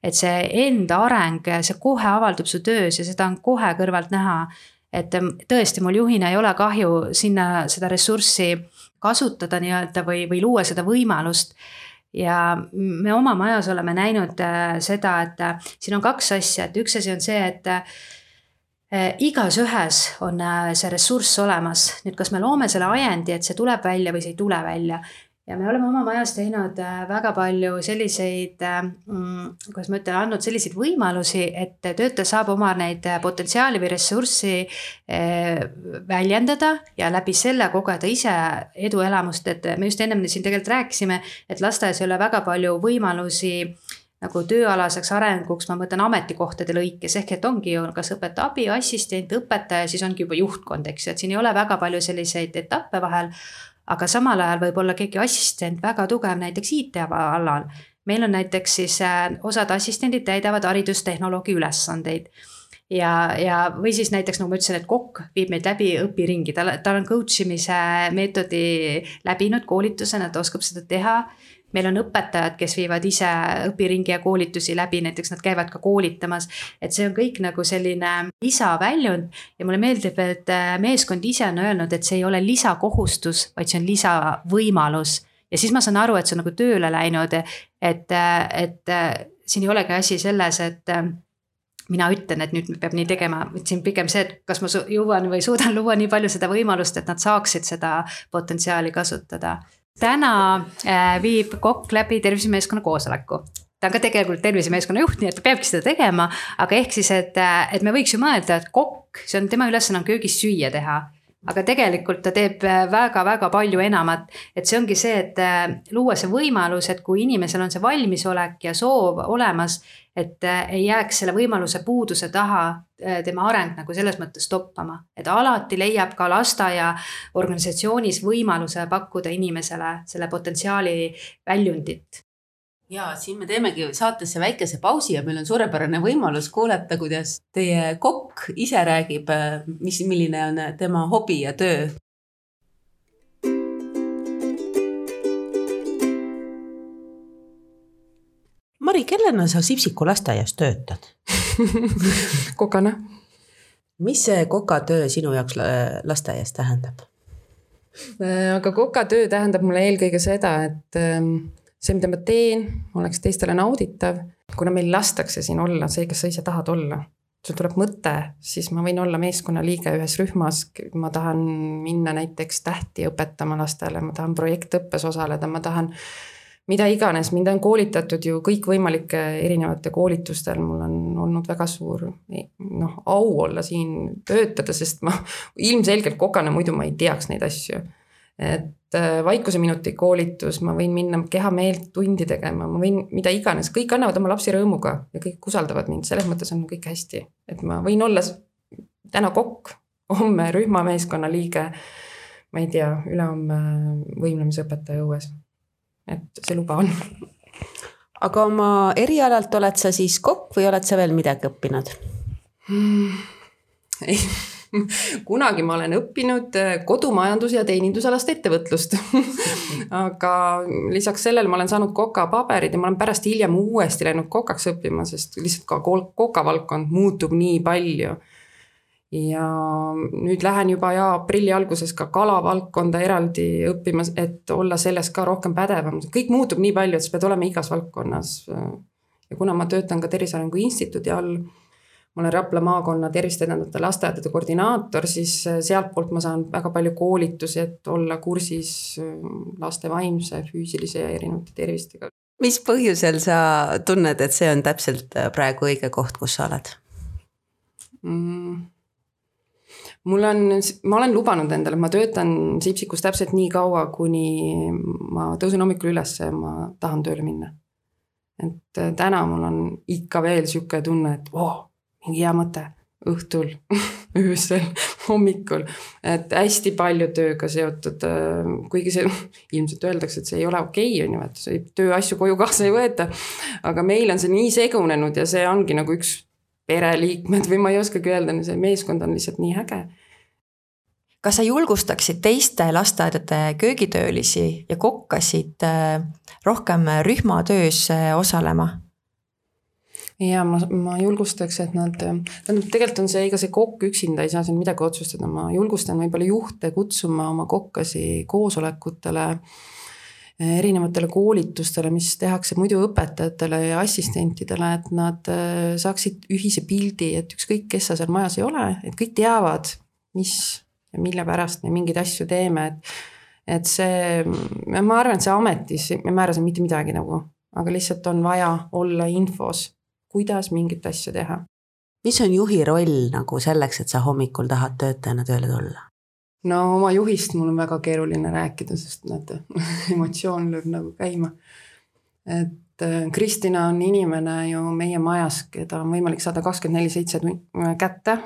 et see enda areng, see kohe avaldub su töös ja seda on kohe kõrvalt näha. Et tõesti, mul juhina ei ole kahju sinna seda ressurssi kasutada nii-öelda või luua seda võimalust. Ja me oma majas oleme näinud seda, et siin on kaks asja, et üks asi on see, et igas ühes on see ressurss olemas. Nüüd, kas me loome selle ajendi, et see tuleb välja või see ei tule välja. Ja me oleme oma majas teinud väga palju selliseid, kuidas ma ütlen, andnud selliseid võimalusi, et töötaja saab oma neid potentsiaali või ressurssi väljendada ja läbi selle kogeda ise eduelamust, et me just ennem siin tegelikult rääkisime, et lasteaias ei ole väga palju võimalusi nagu tööalaseks arenguks, ma mõtlen ametikohtade lõikes, ehk et ongi ju kas õpetaja abi, assistent, õpetaja, siis ongi juba juhtkond, eks, et siin ei ole väga palju selliseid etappe vahel. Aga samal ajal võib olla keegi assistent väga tugev näiteks IT-alal. Meil on näiteks siis osad assistendid täidavad haridustehnoloogi ülesandeid. Ja või siis näiteks, nagu ma ütlesin, et kokk viib meid läbi õpiringi. Tal on coachimise meetodi läbinud koolitusena, ta oskab seda teha. Meil on õpetajad, kes viivad ise õpiringi ja koolitusi läbi, näiteks nad käivad ka koolitamas, et see on kõik nagu selline lisaväljund ja mulle meeldib, et meeskond ise on öelnud, et see ei ole lisakohustus, vaid see on lisavõimalus. Ja siis ma saan aru, et see on nagu tööle läinud, et siin ei olegi asi selles, et mina ütlen, et nüüd peab nii tegema, et siin pigem see, et kas ma jõuan või suudan luua nii palju seda võimalust, et nad saaksid seda potentsiaali kasutada. Täna viib kokk läbi tervisemeeskonna koosoleku. Ta on ka tegelikult tervisemeeskonna juht, nii et ta peabki seda tegema, aga ehk siis, et me võiks ju mõelda, et kokk, see on tema ülesanne on köögis süüa teha, aga tegelikult ta teeb väga-väga palju enamat, et see ongi see, et luua see võimalus, et kui inimesel on see valmisolek ja soov olemas, et ei jääks selle võimaluse puuduse taha tema areng nagu selles mõttes toppama, et alati leiab ka lasteaia organisatsioonis võimaluse pakkuda inimesele selle potentsiaali väljundit.
Ja siin me teemegi saatesse väikese pausi ja meil on suurepärane võimalus kuulata, kuidas teie kokk ise räägib, milline on tema hobi ja töö. Mari, kellena sa Sipsiku lasteaias töötad?
Kokana.
Mis see kokatöö sinu jaoks lasteaias tähendab?
Aga kokatöö tähendab mulle eelkõige seda, et see, mida ma teen, oleks teistele nauditav. Kuna meil lastakse siin olla, see, kes sa ise tahad olla. Sul tuleb mõte, siis ma võin olla meeskonna liige ühes rühmas. Ma tahan minna näiteks tähti õpetama lastele, ma tahan projektõppes osaleda, ma tahan mida iganes, mind on koolitatud ju kõik võimalike erinevate koolitustel, mul on olnud väga suur au olla siin töötada, sest ma ilmselgelt kokana, muidu ma ei teaks neid asju. Et vaikuse minuti koolitus, ma võin minna kehameelt tundi tegema, ma võin mida iganes, kõik annavad oma lapsi rõõmuga ja kõik usaldavad mind, selles mõttes on kõik hästi. Et ma võin olla täna kokk, homme rühmameeskonna liige, ma ei tea, ülehomme võimlemisõpetaja õues. Et see luba on.
Aga oma erialalt oled sa siis kokk või oled sa veel midagi õppinud?
Ei, kunagi ma olen õppinud kodumajandus- ja teenindusalast ettevõtlust. Aga lisaks sellele ma olen saanud koka paberid ja ma olen pärast hiljem uuesti läinud kokaks õppima, sest lihtsalt ka koka valdkond muutub nii palju. Ja nüüd lähen juba aprilli alguses ka kalavaldkonda eraldi õppimas, et olla selles ka rohkem pädevam. Kõik muutub nii palju, et sa pead olema igas valdkonnas. Ja kuna ma töötan ka Tervise Arengu Instituudi all, ma olen Rapla maakonna tervist edendavate lasteaedade koordinaator, siis sealt poolt ma saan väga palju koolitusi, et olla kursis laste vaimse, füüsilise ja erinevate tervistega.
Mis põhjusel sa tunned, et see on täpselt praegu õige koht, kus sa oled?
Ma olen lubanud endale, ma töötan Sipsikus täpselt nii kaua, kuni ma tõusen hommikul üles ja ma tahan tööle minna. Et täna mul on ikka veel siuke tunne, et mingi hea mõte õhtul, öösel, hommikul. Et hästi palju tööga seotud, kuigi see ilmselt öeldakse, et see ei ole okei, on ju, et tööasju koju kaasa ei võeta. Aga meil on see nii segunenud ja see ongi nagu üks pereliikmed või ma ei oskagi öelda, see meeskond on lihtsalt nii äge.
Kas sa julgustaksid teiste lasteaedade köögitöölisi ja kokkasid rohkem rühmatöös osalema?
Ja ma julgustaks, et nad, tegelikult on see, ega see kokk üksinda ei saa siin midagi otsustada, ma julgustan võib-olla juhte kutsuma oma kokkasi koosolekutele, erinevatele koolitustele, mis tehakse muidu õpetajatele ja assistentidele, et nad saaksid ühise pildi, et ükskõik, kes sa seal majas ei ole, et kõik teavad, mis ja mille pärast me mingeid asju teeme, et see, ma arvan, et see ametis, me määrasin mitte midagi nagu, aga lihtsalt on vaja olla infos, kuidas mingit asja teha.
Mis on juhi roll nagu selleks, et sa hommikul tahad töötajana tööle tulla?
No oma juhist mul on väga keeruline rääkida, sest näete, emotsioon lööb nagu käima. Et Kristina on inimene ju meie majas, keda on võimalik saada 24/7 kätte.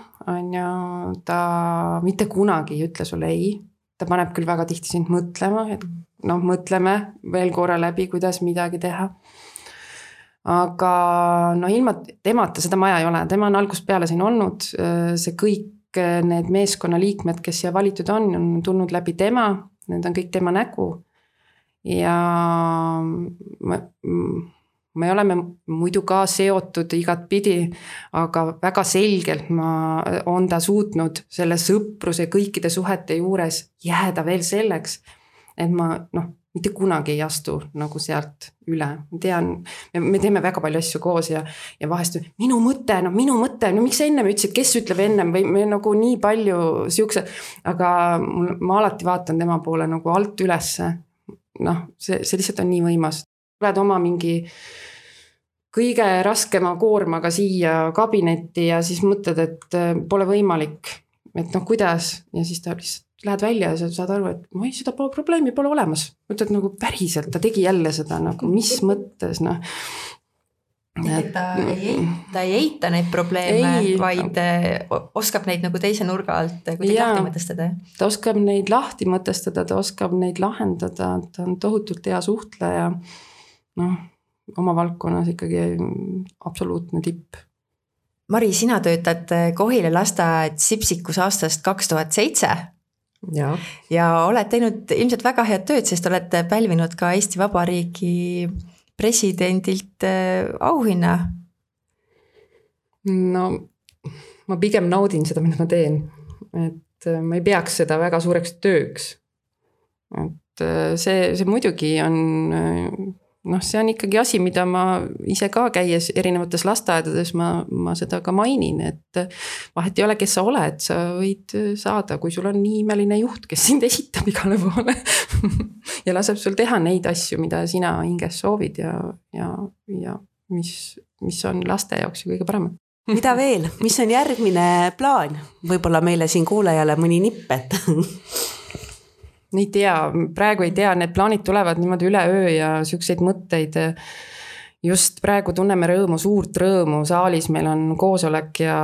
Ta mitte kunagi ei ütle sulle ei. Ta paneb küll väga tihti sind mõtlema, et mõtleme veel korra läbi, kuidas midagi teha. Aga ilma temata seda maja ei ole. Tema on algusest peale siin olnud, see kõik need meeskonna liikmed, kes siia valitud on tulnud läbi tema, need on kõik tema nägu ja me oleme muidu ka seotud igat pidi, aga väga selgelt on ta suutnud selle sõpruse kõikide suhete juures jääda veel selleks, et ma mitte kunagi ei astu nagu sealt üle. Ma tean, me teeme väga palju asju koos ja vahest minu mõte, miks sa ennem ütlesid, kes ütleb ennem või me nagu nii palju siukse, aga ma alati vaatan tema poole nagu alt ülesse. See lihtsalt on nii võimas. Oled oma mingi kõige raskema koormaga siia kabinetti ja siis mõtled, et pole võimalik, et kuidas ja siis ta lihtsalt lähed välja ja sa saad aru, et seda probleemi pole olemas. Mõtled nagu päriselt, ta tegi jälle seda, nagu mis mõttes,
Ta ei eita neid probleeme, vaid oskab neid nagu teise nurga alt kuidagi lahti mõtestada.
Ta oskab neid lahti mõtestada, ta oskab neid lahendada, ta on tohutult hea suhtleja. Oma valdkonnas ikkagi absoluutne tipp.
Mari, sina töötad Kohila lasteaed Sipsikus aastast 2007. Ja oled teinud ilmselt väga head tööd, sest oled pälvinud ka Eesti Vabariigi presidendilt auhinna.
Ma pigem naudin seda, mida ma teen. Et ma ei peaks seda väga suureks tööks. Et see muidugi on, see on ikkagi asi, mida ma ise ka käies erinevates lasteaedades, ma seda ka mainin, et vahet ei ole, kes sa oled, sa võid saada, kui sul on nii imeline juht, kes sind esitab igale poole ja laseb sul teha neid asju, mida sina hinges soovid ja mis on laste jaoks ju kõige parem.
Mida veel? Mis on järgmine plaan? Võib-olla meile siin kuulajale mõni nipp, et
ei tea, praegu ei tea, need plaanid tulevad niimoodi üle öö ja siukseid mõtteid just praegu tunneme rõõmu, suurt rõõmu, saalis meil on koosolek ja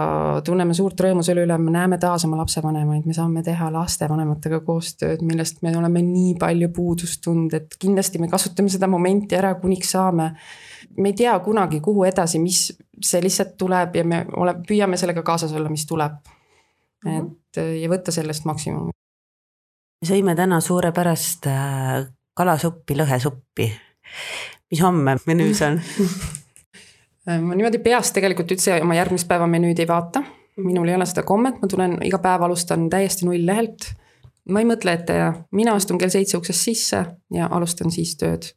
tunneme suurt rõõmu selle üle, me näeme taas oma lapsevanemaid, me saame teha lastevanematega koostööd, millest me oleme nii palju puudust tundnud, et kindlasti me kasutame seda momenti ära, kuniks saame. Me ei tea kunagi, kuhu edasi, mis see lihtsalt tuleb ja me püüame sellega kaasas olla, mis tuleb. Et, ja võtta sellest maksimumi.
Me sõime täna suurepärast kalasuppi, lõhesuppi. Mis homme menüüs on?
Ma niimoodi peast tegelikult üldse oma järgmist päeva menüüd ei vaata. Minul ei ole seda kommet, ma tulen iga päev alustan täiesti null lehelt. Ma ei mõtle ette ja mina astun kell 7 uksest sisse ja alustan siis tööd.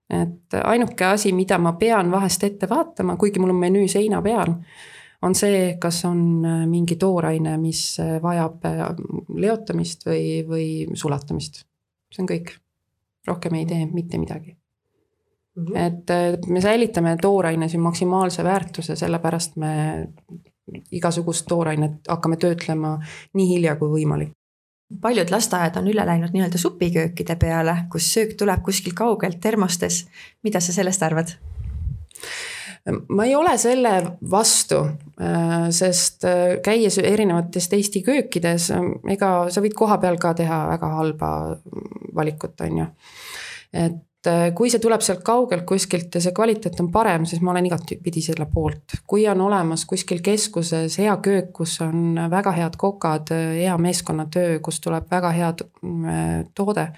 Et ainuke asi, mida ma pean vahest ette vaatama, kuigi mul on menüü seina peal, on see, kas on mingi tooraine, mis vajab leotamist või sulatamist. See on kõik. Rohkem ei tee mitte midagi. Et me säilitame tooraine siin maksimaalse väärtuse, sellepärast me igasugust toorainet hakkame töötlema nii hilja kui võimalik.
Paljud lasteaiad on üle läinud nii-öelda supiköökide peale, kus söök tuleb kuskil kaugelt termostes. Mida sa sellest arvad?
Ma ei ole selle vastu, sest käies erinevates Eesti köökides, ega sa võid koha peal ka teha väga halba valikut, on ju. Et kui see tuleb sealt kaugelt kuskilt ja see kvaliteet on parem, siis ma olen igatpidi selle poolt. Kui on olemas kuskil keskuses hea köök, kus on väga head kokad, hea meeskonnatöö, kus tuleb väga head toode,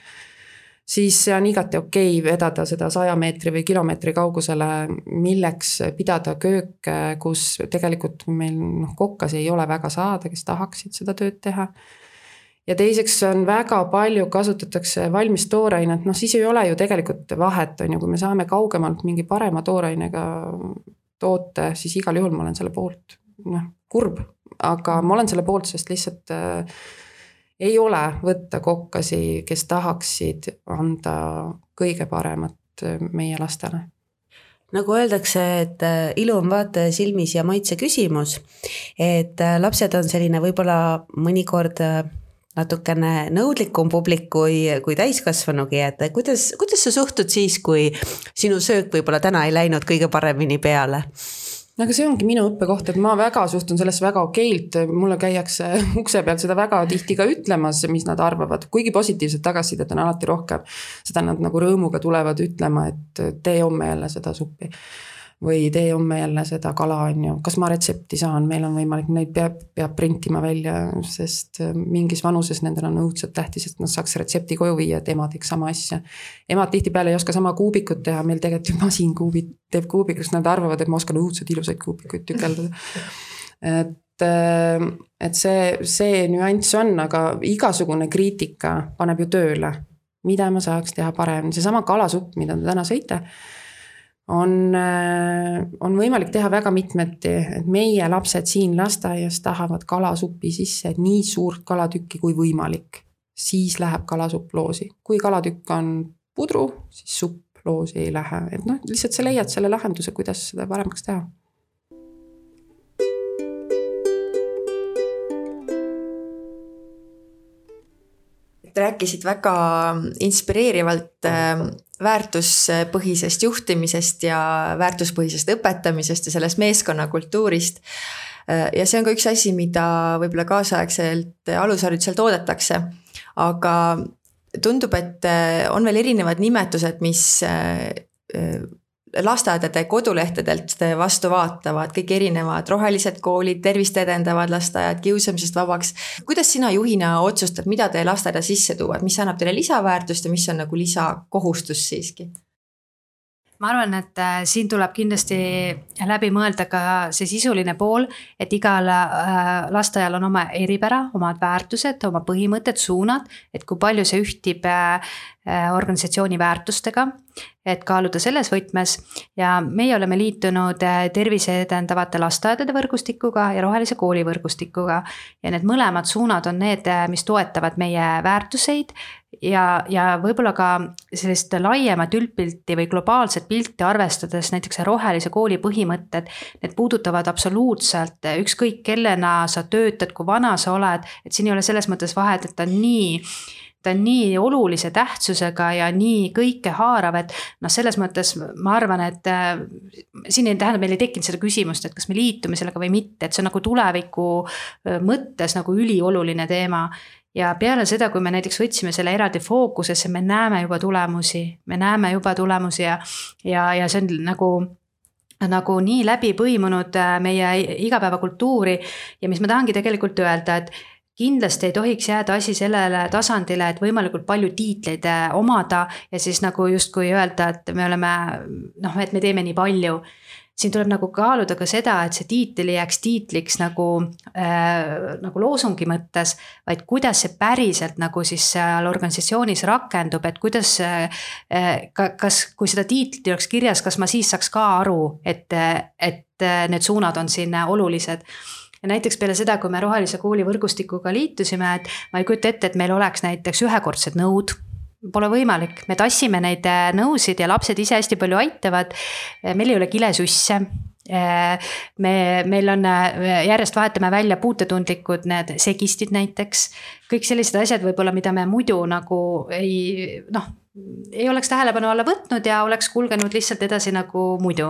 siis see on igati okei vedada seda 100 meetri või kilomeetri kaugusele, milleks pidada köök, kus tegelikult meil kokkas ei ole väga saada, kes tahaksid seda tööd teha. Ja teiseks on väga palju kasutatakse valmis toorainet, siis ei ole ju tegelikult vahet, on ju, kui me saame kaugemalt mingi parema toorainega toote, siis igal juhul ma olen selle poolt. Kurb, aga ma olen selle poolt, sest lihtsalt ei ole võtta kokkasi, kes tahaksid anda kõige paremat meie lastele.
Nagu öeldakse, et ilu on vaataja silmis ja maitse küsimus, et lapsed on selline võib-olla mõnikord natukene nõudlikum publik kui täiskasvanugi, et kuidas sa suhtud siis, kui sinu söök võib-olla täna ei läinud kõige paremini peale?
Aga see ongi minu õppekoht, et ma väga suhtun sellest väga okeilt, mulle käiakse ukse peal seda väga tihti ka ütlemas, mis nad arvavad, kuigi positiivset tagasisidet on alati rohkem, seda nad nagu rõõmuga tulevad ütlema, et tee homme jälle seda suppi või tee homme jälle seda kala, on ju. Kas ma retsepti saan, meil on võimalik, neid peab printima välja, sest mingis vanuses nendel on õudselt tähtis, et nad saaks retsepti koju viia, et ema teeks sama asja. Emad tihtipeale ei oska sama kuubikut teha, meil tegelikult masin teeb kuubikus, nad arvavad, et ma oskan õudselt ilusaid kuubikuid tükeldada. Et see nüanss on, aga igasugune kriitika paneb ju tööle, mida ma saaks teha parem. See sama kalasupp, mida te täna sõite, on võimalik teha väga mitmeti, et meie lapsed siin lasteaias tahavad kalasupi sisse nii suurt kalatükki kui võimalik. Siis läheb kalasupp loosi. Kui kalatükk on pudru, siis supp loosi ei lähe. Et lihtsalt sa leiad selle lahenduse, kuidas seda paremaks teha.
Rääkisid väga inspireerivalt väärtuspõhisest juhtimisest ja väärtuspõhisest õpetamisest ja sellest meeskonnakultuurist. Ja see on ka üks asi, mida võib-olla kaasaegselt alusharidusel toodetakse. Aga tundub, et on veel erinevad nimetused, mis lasteaedade kodulehtedelt vastu vaatavad, kõik erinevad rohelised koolid, tervist edendavad lasteaiad, kiusamisest vabaks. Kuidas sina juhina otsustad, mida te lasteaeda sisse tuuvad, mis annab teile lisaväärtust ja mis on nagu lisakohustus siiski?
Ma arvan, et siin tuleb kindlasti läbi mõelda ka see sisuline pool, et igal lasteaial on oma eripära, omad väärtused, oma põhimõtted, suunad, et kui palju see ühtib organisatsiooni väärtustega, et kaaluda selles võtmes ja meie oleme liitunud tervise edendavate lasteaedade võrgustikuga ja rohelise kooli võrgustikuga ja need mõlemad suunad on need, mis toetavad meie väärtuseid ja võib-olla ka sellist laiemat üldpilti või globaalset pilti arvestades näiteks rohelise kooli põhimõtted, need puudutavad absoluutselt ükskõik kellena sa töötad, kui vana sa oled, et siin ei ole selles mõttes vahet, et ta on ta on nii olulise tähtsusega ja nii kõike haarav, et noh, selles mõttes ma arvan, et siin ei tähendab, meil ei tekkinud seda küsimust, et kas me liitume sellega või mitte, et see on nagu tuleviku mõttes nagu ülioluline teema. Ja peale seda, kui me näiteks võtsime selle eraldi fookusesse, me näeme juba tulemusi ja see on nagu nii läbi põimunud meie igapäevakultuuri ja mis ma tahangi tegelikult öelda, et kindlasti ei tohiks jääda asi sellele tasandile, et võimalikult palju tiitleid omada ja siis nagu justkui öelda, et me oleme, et me teeme nii palju. Siin tuleb nagu kaaluda ka seda, et see tiitel jääks tiitliks nagu loosungi mõttes, vaid kuidas see päriselt nagu siis seal organisatsioonis rakendub, et kuidas, kas, kui seda tiitlit oleks kirjas, kas ma siis saaks ka aru, et need suunad on siin olulised. Ja näiteks peale seda, kui me Rohelise Kooli võrgustikuga liitusime, et ma ei kujuta ette, et meil oleks näiteks ühekordsed nõud, pole võimalik, me tassime neid nõusid ja lapsed ise hästi palju aitavad, meil ei ole kilesusse, meil on, järjest vahetame välja puutetundlikud need segistid näiteks, kõik sellised asjad võib-olla, mida me muidu nagu ei oleks tähelepanu alla võtnud ja oleks kulgenud lihtsalt edasi nagu muidu.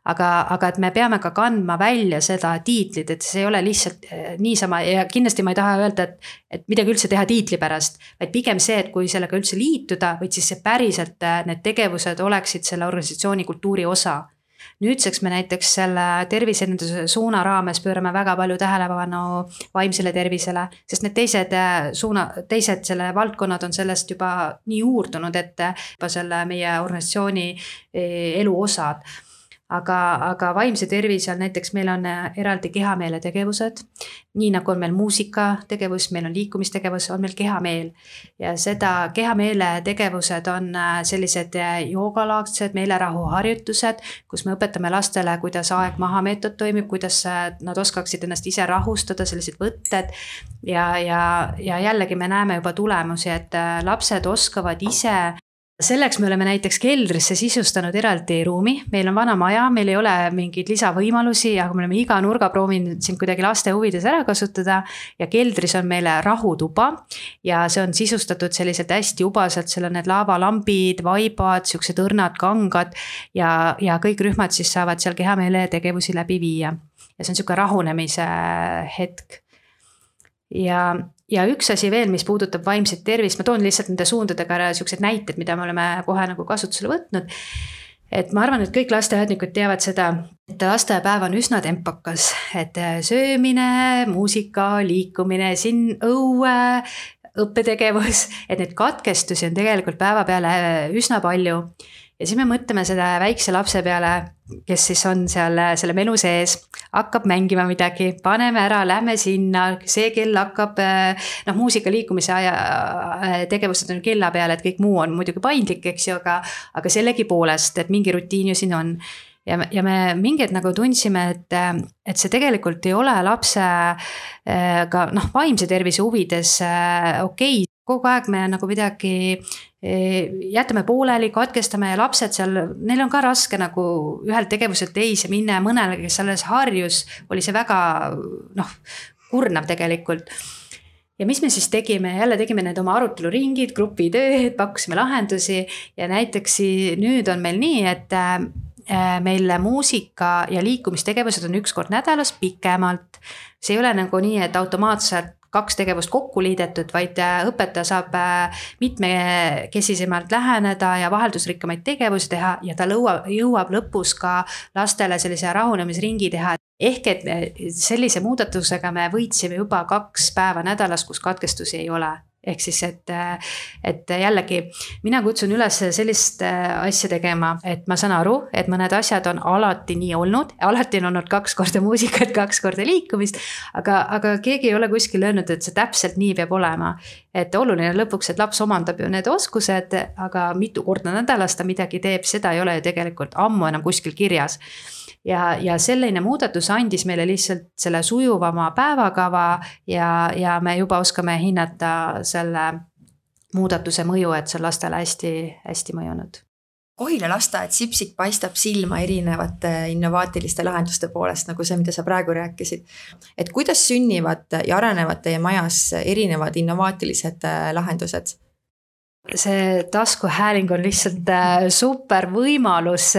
Aga et me peame ka kandma välja seda tiitlit, et see ei ole lihtsalt niisama ja kindlasti ma ei taha öelda, et midagi üldse teha tiitli pärast, vaid pigem see, et kui sellega üldse liituda, või siis see päriselt need tegevused oleksid selle organisatsiooni kultuuri osa. Nüüdseks me näiteks selle terviseenduse suuna raames pöörame väga palju tähelepanu vaimsele tervisele, sest need teised selle valdkonnad on sellest juba nii uurdunud, et juba selle meie organisatsiooni elu osad. Aga vaimse tervise all näiteks meil on eraldi kehameele tegevused, nii nagu on meil muusikategevus, meil on liikumistegevus, on meil kehameel. Ja seda kehameele tegevused on sellised joogalaagsed meelerahuharjutused, kus me õpetame lastele, kuidas aeg maha meetod toimib, kuidas nad oskaksid ennast ise rahustada, sellised võtted. Ja jällegi me näeme juba tulemusi, et lapsed oskavad ise. Selleks me oleme näiteks keldrisse sisustanud eraldi ruumi, meil on vana maja, meil ei ole mingeid lisavõimalusi, aga me oleme iga nurga proovinud siin kuidagi laste huvides ära kasutada ja keldris on meile rahutuba ja see on sisustatud selliselt hästi ubaselt, seal on need laavalambid, vaibad, siuksed õrnad, kangad ja kõik rühmad siis saavad seal kehameele tegevusi läbi viia ja see on siuke rahunemise hetk. Ja üks asi veel, mis puudutab vaimset tervist, ma toon lihtsalt nende suundadega siuksed näited, mida me oleme kohe nagu kasutusele võtnud. Et ma arvan, et kõik lasteaednikud teavad seda, et lastepäev on üsna tempakas, et söömine, muusika, liikumine, siin õue, õppetegevus, et need katkestusi on tegelikult päeva peale üsna palju. Ja siis me mõtleme seda väikse lapse peale, kes siis on seal selle menu sees, hakkab mängima midagi, paneme ära, lähme sinna, see kell hakkab, muusika liikumise tegevused on kella peale, et kõik muu on muidugi paindlik, eks ju, aga sellegi poolest, et mingi rutiin ju siin on. Ja me mingid nagu tundsime, et see tegelikult ei ole lapse ka vaimse tervise huvides okei. Kogu aeg me nagu midagi jätame pooleli, katkestame ja lapsed seal, neil on ka raske nagu ühelt tegevuselt teise minna ja mõnele, kes alles harjus, oli see väga kurnav tegelikult. Ja mis me siis tegime? Jälle tegime need oma aruteluringid, grupitööd, pakkusime lahendusi ja näiteks nüüd on meil nii, et meil muusika ja liikumistegevused on üks kord nädalas pikemalt. See ei ole nagu nii, et automaatselt 2 tegevust kokku liidetud, vaid õpetaja saab mitmekesisemalt läheneda ja vaheldusrikkamaid tegevusi teha ja ta jõuab lõpus ka lastele sellise rahunemisringi teha. Ehk et sellise muudatusega me võitsime juba 2 päeva nädalas, kus katkestusi ei ole. Ehk siis, et jällegi mina kutsun üles sellist asja tegema, et ma saan aru, et mõned asjad on alati nii olnud, alati on olnud 2 korda muusikat, 2 korda liikumist, aga keegi ei ole kuskil öelnud, et see täpselt nii peab olema. Et oluline lõpuks, et laps omandab ju need oskused, aga mitu korda nädalas ta midagi teeb, seda ei ole ju tegelikult ammu enam kuskil kirjas. Ja selline muudatus andis meile lihtsalt selle sujuvama päevakava ja me juba oskame hinnata selle muudatuse mõju, et see on lastele hästi mõjunud.
Kohila lasteaed Sipsik paistab silma erinevate innovaatiliste lahenduste poolest, nagu see, mida sa praegu rääkisid. Et kuidas sünnivad ja arenevad teie majas erinevad innovaatilised lahendused?
see taskuhääling on lihtsalt super võimalus,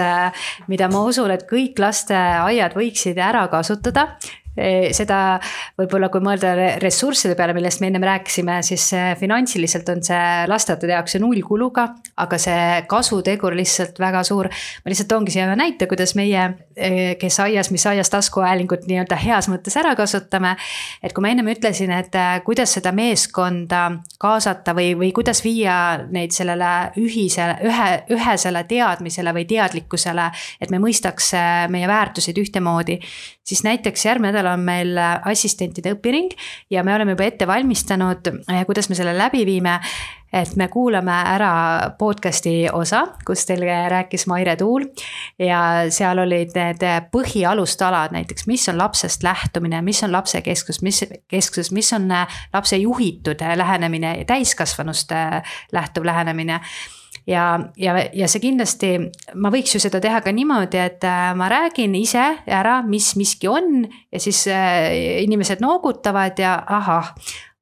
mida ma usun, et kõik lasteaiad võiksid ära kasutada. Seda võib-olla, kui mõelda ressursside peale, millest me ennem rääkisime, siis finantsiliselt on see lasteaedade jaoks 0 kuluga, aga see kasutegur lihtsalt väga suur. Ma lihtsalt toongi siia näite, kuidas meie, kes aias, mis aias taskuhäälingut nii-öelda heas mõttes ära kasutame. Et kui ma ennem ütlesin, et kuidas seda meeskonda kaasata või kuidas viia neid sellele ühesele teadmisele või teadlikkusele, et me mõistaks meie väärtusid ühtemoodi, siis näiteks järgmine nädal on meil assistentide õpiring ja me oleme juba ette valmistanud, kuidas me selle läbi viime, et me kuulame ära podcasti osa, kus teil rääkis Maire Tuul ja seal olid need põhialustalad näiteks, mis on lapsest lähtumine, mis on lapse kesksus, mis on lapse juhitud lähenemine ja täiskasvanust lähtuv lähenemine. Ja see kindlasti, ma võiks ju seda teha ka niimoodi, et ma räägin ise ära, mis miski on ja siis inimesed noogutavad ja ahah,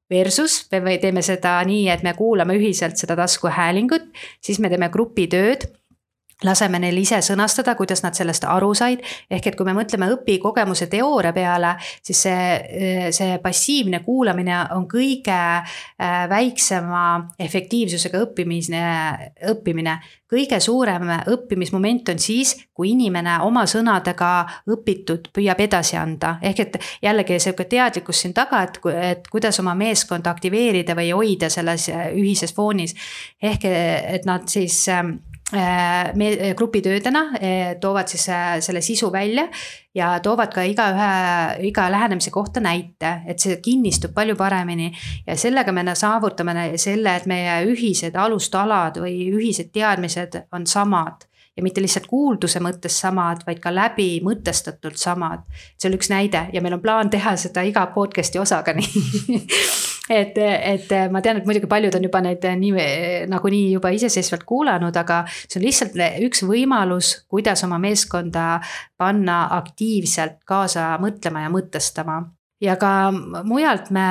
versus me teeme seda nii, et me kuulame ühiselt seda taskuhäälingut, siis me teeme grupitööd, laseme neil ise sõnastada, kuidas nad sellest aru said, ehk et kui me mõtleme õpikogemuse teooria peale, siis see passiivne kuulamine on kõige väiksema efektiivsusega õppimine. Kõige suurem õppimismoment on siis, kui inimene oma sõnadega õpitud püüab edasi anda. Ehk et jällegi see teadlikkus siin taga, et kuidas oma meeskonda aktiveerida või hoida selles ühises foonis. Ehk et nad siis grupitöödena toovad siis selle sisu välja ja toovad ka iga lähenemise kohta näite, et see kinnistub palju paremini ja sellega me saavutame selle, et meie ühised alustalad või ühised teadmised on samad ja mitte lihtsalt kuulduse mõttes samad, vaid ka läbi mõtestatult samad. See on üks näide ja meil on plaan teha seda iga podcasti osaga nii. et ma tean, et muidugi paljud on juba neid nagunii juba iseseisvalt kuulanud, aga see on lihtsalt üks võimalus, kuidas oma meeskonda panna aktiivselt kaasa mõtlema ja mõtestama. Ja ka mujalt me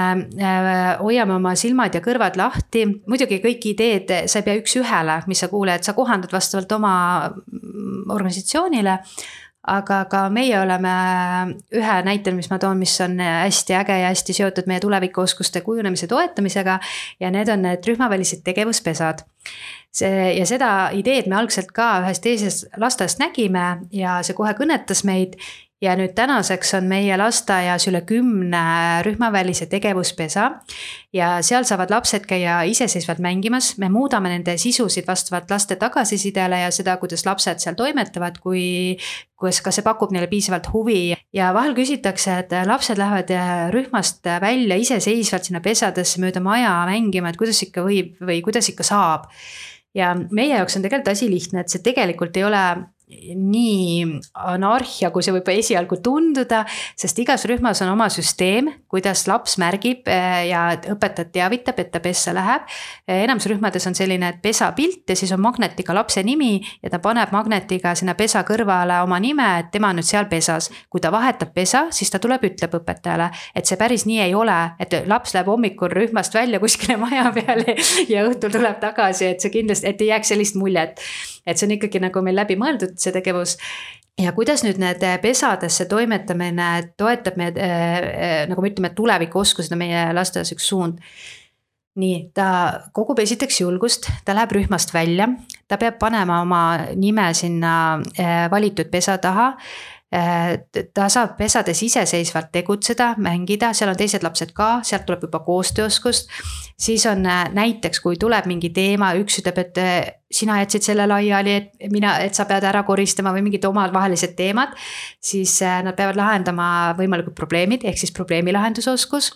hoiame oma silmad ja kõrvad lahti. Muidugi kõik ideed, sa ei pea üks ühele, mis sa kuuled, sa kohandad vastavalt oma organisatsioonile, aga ka meie oleme ühe näitel, mis ma toon, mis on hästi äge ja hästi seotud meie tulevikuoskuste kujunemise toetamisega ja need on need rühmavälised tegevuspesad. Ja seda ideed me algselt ka ühest teisest lasteaiast nägime ja see kohe kõnetas meid. Ja nüüd tänaseks on meie lasteaias üle 10 rühmavälise tegevuspesa ja seal saavad lapsed käia iseseisvalt mängimas. Me muudame nende sisusid vastavalt laste tagasisidele ja seda, kuidas lapsed seal toimetavad, kas see pakub neile piisavalt huvi. Ja vahel küsitakse, et lapsed lähevad rühmast välja iseseisvalt sinna pesadesse mööda maja mängima, et kuidas ikka võib või kuidas ikka saab. Ja meie jaoks on tegelikult asi lihtne, et see tegelikult ei ole nii anarhia, kui see võib esialgu tunduda, sest igas rühmas on oma süsteem, kuidas laps märgib ja õpetajad teavitab, et ta pessa läheb. Enamus rühmades on selline pesa pilt ja siis on magnetiga lapse nimi ja ta paneb magnetiga sinna pesa kõrvale oma nime, et tema on nüüd seal pesas. Kui ta vahetab pesa, siis ta tuleb, ütleb õpetajale, et see päris nii ei ole, et laps läheb hommikul rühmast välja kuskile maja peale ja õhtul tuleb tagasi, et see kindlasti, et ei jääks sellist muljet. Et see on ikkagi nagu meil läbi mõeldud see tegevus ja kuidas nüüd need pesadesse toimetamine toetab meid, nagu me ütleme, tulevikuoskused on meie lasteaias üks suund. Nii, ta kogub esiteks julgust, ta läheb rühmast välja, ta peab panema oma nime sinna valitud pesa taha, ta saab pesades iseseisvalt tegutseda, mängida, seal on teised lapsed ka, sealt tuleb juba koostööoskust. Siis on näiteks, kui tuleb mingi teema, üks ütleb, et sina jätsid selle laiali, et sa pead ära koristama või mingid omad vahelised teemad, siis nad peavad lahendama võimalikud probleemid, ehk siis probleemilahendusoskus.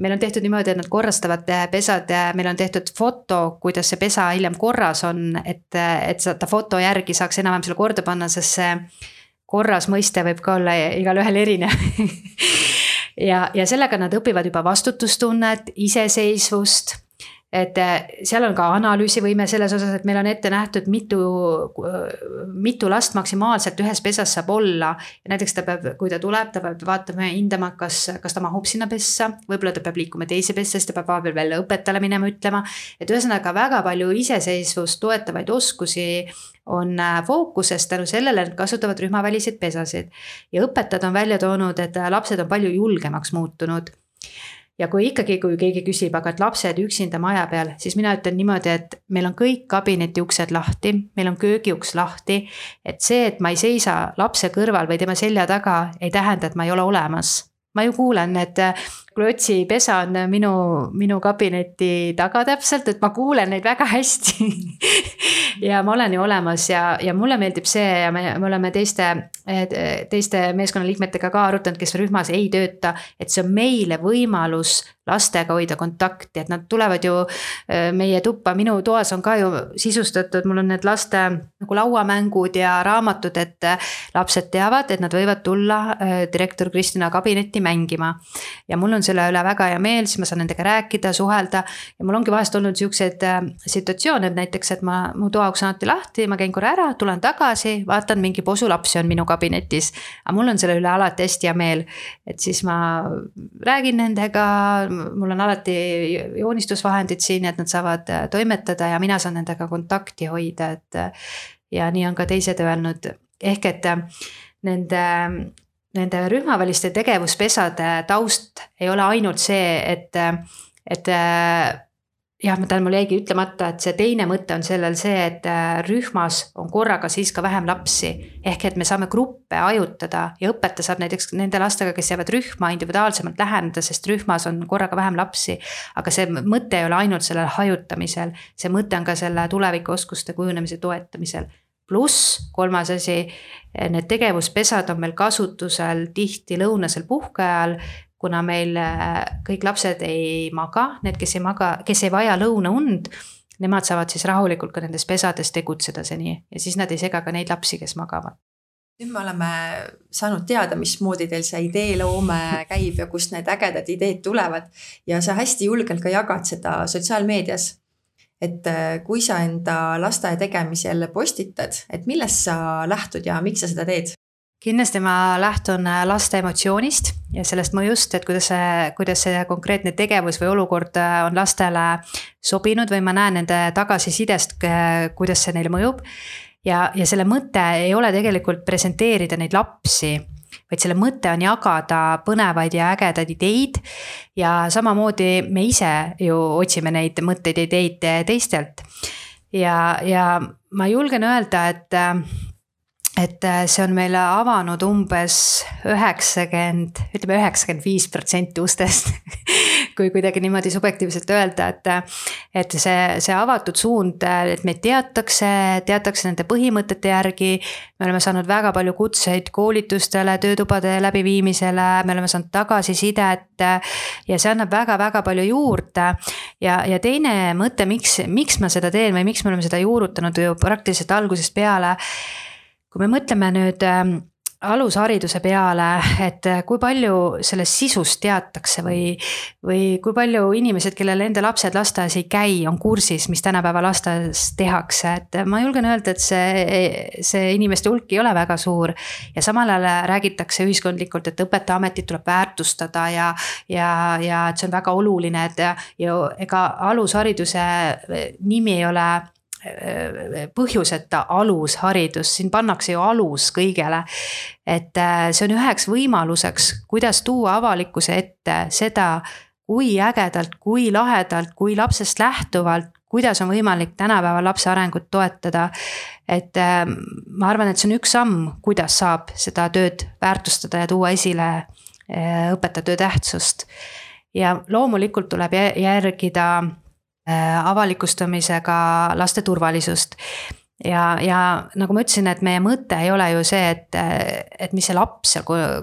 Meil on tehtud niimoodi, et nad korrastavad pesad, meil on tehtud foto, kuidas see pesa hiljem korras on, et ta foto järgi saaks enam-vähem selle korda panna, sest see korras mõiste võib ka olla igal ühel erinev. ja sellega nad õpivad juba vastutustunnet, iseseisvust, et seal on ka analüüsivõime selles osas, et meil on ette nähtud mitu last maksimaalselt ühes pesas saab olla. Ja näiteks ta peab, kui ta tuleb, ta peab vaatama ja hindama, kas ta mahub sinna pessa, võib-olla ta peab liikuma teise pessa, siis ta peab vahepeal välja õpetajale minema ütlema, et ühesõnaga väga palju iseseisvust toetavaid oskusi on fookuses tänu sellele, et kasutavad rühmaväliseid pesasid. Ja õpetajad on välja toonud, et lapsed on palju julgemaks muutunud. Ja kui keegi küsib, aga et lapsed üksinda maja peal, siis mina ütlen niimoodi, et meil on kõik kabineti uksed lahti, meil on köögiuks lahti, et see, et ma ei seisa lapse kõrval või tema selja taga, ei tähenda, et ma ei ole olemas. Ma ju kuulen, et klotsi pesa on minu kabineti taga täpselt, et ma kuulen neid väga hästi ja ma olen ju olemas ja mulle meeldib see ja me oleme teiste meeskonnaliikmetega ka arutanud, kes rühmas ei tööta, et see on meile võimalus lastega hoida kontakti, et nad tulevad ju meie tuppa, minu toas on ka ju sisustatud, mul on need laste nagu lauamängud ja raamatud, et lapsed teavad, et nad võivad tulla direktor Kristina kabinetti mängima ja mul on selle üle väga hea meel, siis ma saan nendega rääkida, suhelda ja mul ongi vahest olnud sellised situatsioone, et näiteks, et mu toauks on alati lahti, ma käin korra ära, tulen tagasi, vaatan mingi posu lapsi on minu kabinetis, aga mul on selle üle alati hästi hea meel, et siis ma räägin nendega, mul on alati joonistusvahendid siin, et nad saavad toimetada ja mina saan nendega kontakti hoida, et ja nii on ka teised öelnud, ehk et nende rühmaväliste tegevuspesade taust ei ole ainult see, et jah, mul jäigi ütlemata, et see teine mõte on sellel see, et rühmas on korraga siis ka vähem lapsi, ehk et me saame gruppe ajutada ja õpetaja saab näiteks nende lastega, kes jäävad rühma individuaalsemalt läheneda, sest rühmas on korraga vähem lapsi, aga see mõte ei ole ainult sellel hajutamisel, see mõte on ka selle tulevikuoskuste kujunemise toetamisel. Pluss kolmas asi, need tegevuspesad on meil kasutusel tihti lõunasel puhkeajal, kuna meil kõik lapsed ei maga, need, kes ei vaja lõunaund, nemad saavad siis rahulikult ka nendes pesades tegutseda seni ja siis nad ei sega ka neid lapsi, kes magavad.
Nüüd me oleme saanud teada, mismoodi teil see ideeloome käib ja kust need ägedad ideed tulevad ja sa hästi julgelt ka jagad seda sotsiaalmeedias. Et kui sa enda lasteaia tegemisel postitad, et millest sa lähtud ja miks sa seda teed?
Kindlasti ma lähtun laste emotsioonist ja sellest mõjust, et kuidas see konkreetne tegevus või olukord on lastele sobinud või ma näen nende tagasisidest, kuidas see neile mõjub. Ja selle mõte ei ole tegelikult presenteerida neid lapsi, vaid selle mõte on jagada põnevaid ja ägedaid ideid ja samamoodi me ise ju otsime neid mõtteid ja ideid teistelt. Ja ma julgen öelda, et see on meile avanud umbes 95% ustest, kui kuidagi niimoodi subjektiivselt öelda, et see avatud suund, et meid teatakse nende põhimõtete järgi, me oleme saanud väga palju kutseid koolitustele, töötubade läbiviimisele, me oleme saanud tagasisidet ja see annab väga-väga palju juurde ja teine mõte, miks ma seda teen või miks me oleme seda juurutanud ju praktiliselt algusest peale. Kui me mõtleme nüüd alushariduse peale, et kui palju sellest sisust teatakse või kui palju inimesed, kellel enda lapsed lasteaias ei käi, on kursis, mis tänapäeva lasteaias tehakse, et ma julgen öelda, et see inimeste hulk ei ole väga suur ja samal ajal räägitakse ühiskondlikult, et õpetajaametit tuleb väärtustada ja et see on väga oluline, et ja ega alushariduse nimi ei ole põhjuseta alusharidus, siin pannakse ju alus kõigele, et see on üheks võimaluseks, kuidas tuua avalikkuse ette seda, kui ägedalt, kui lahedalt, kui lapsest lähtuvalt, kuidas on võimalik tänapäeva lapse arengut toetada, et ma arvan, et see on üks samm, kuidas saab seda tööd väärtustada ja tuua esile õpetajatöö tähtsust ja loomulikult tuleb järgida avalikustamisega laste turvalisust. ja nagu ma ütlesin, et meie mõte ei ole ju see, et mis see laps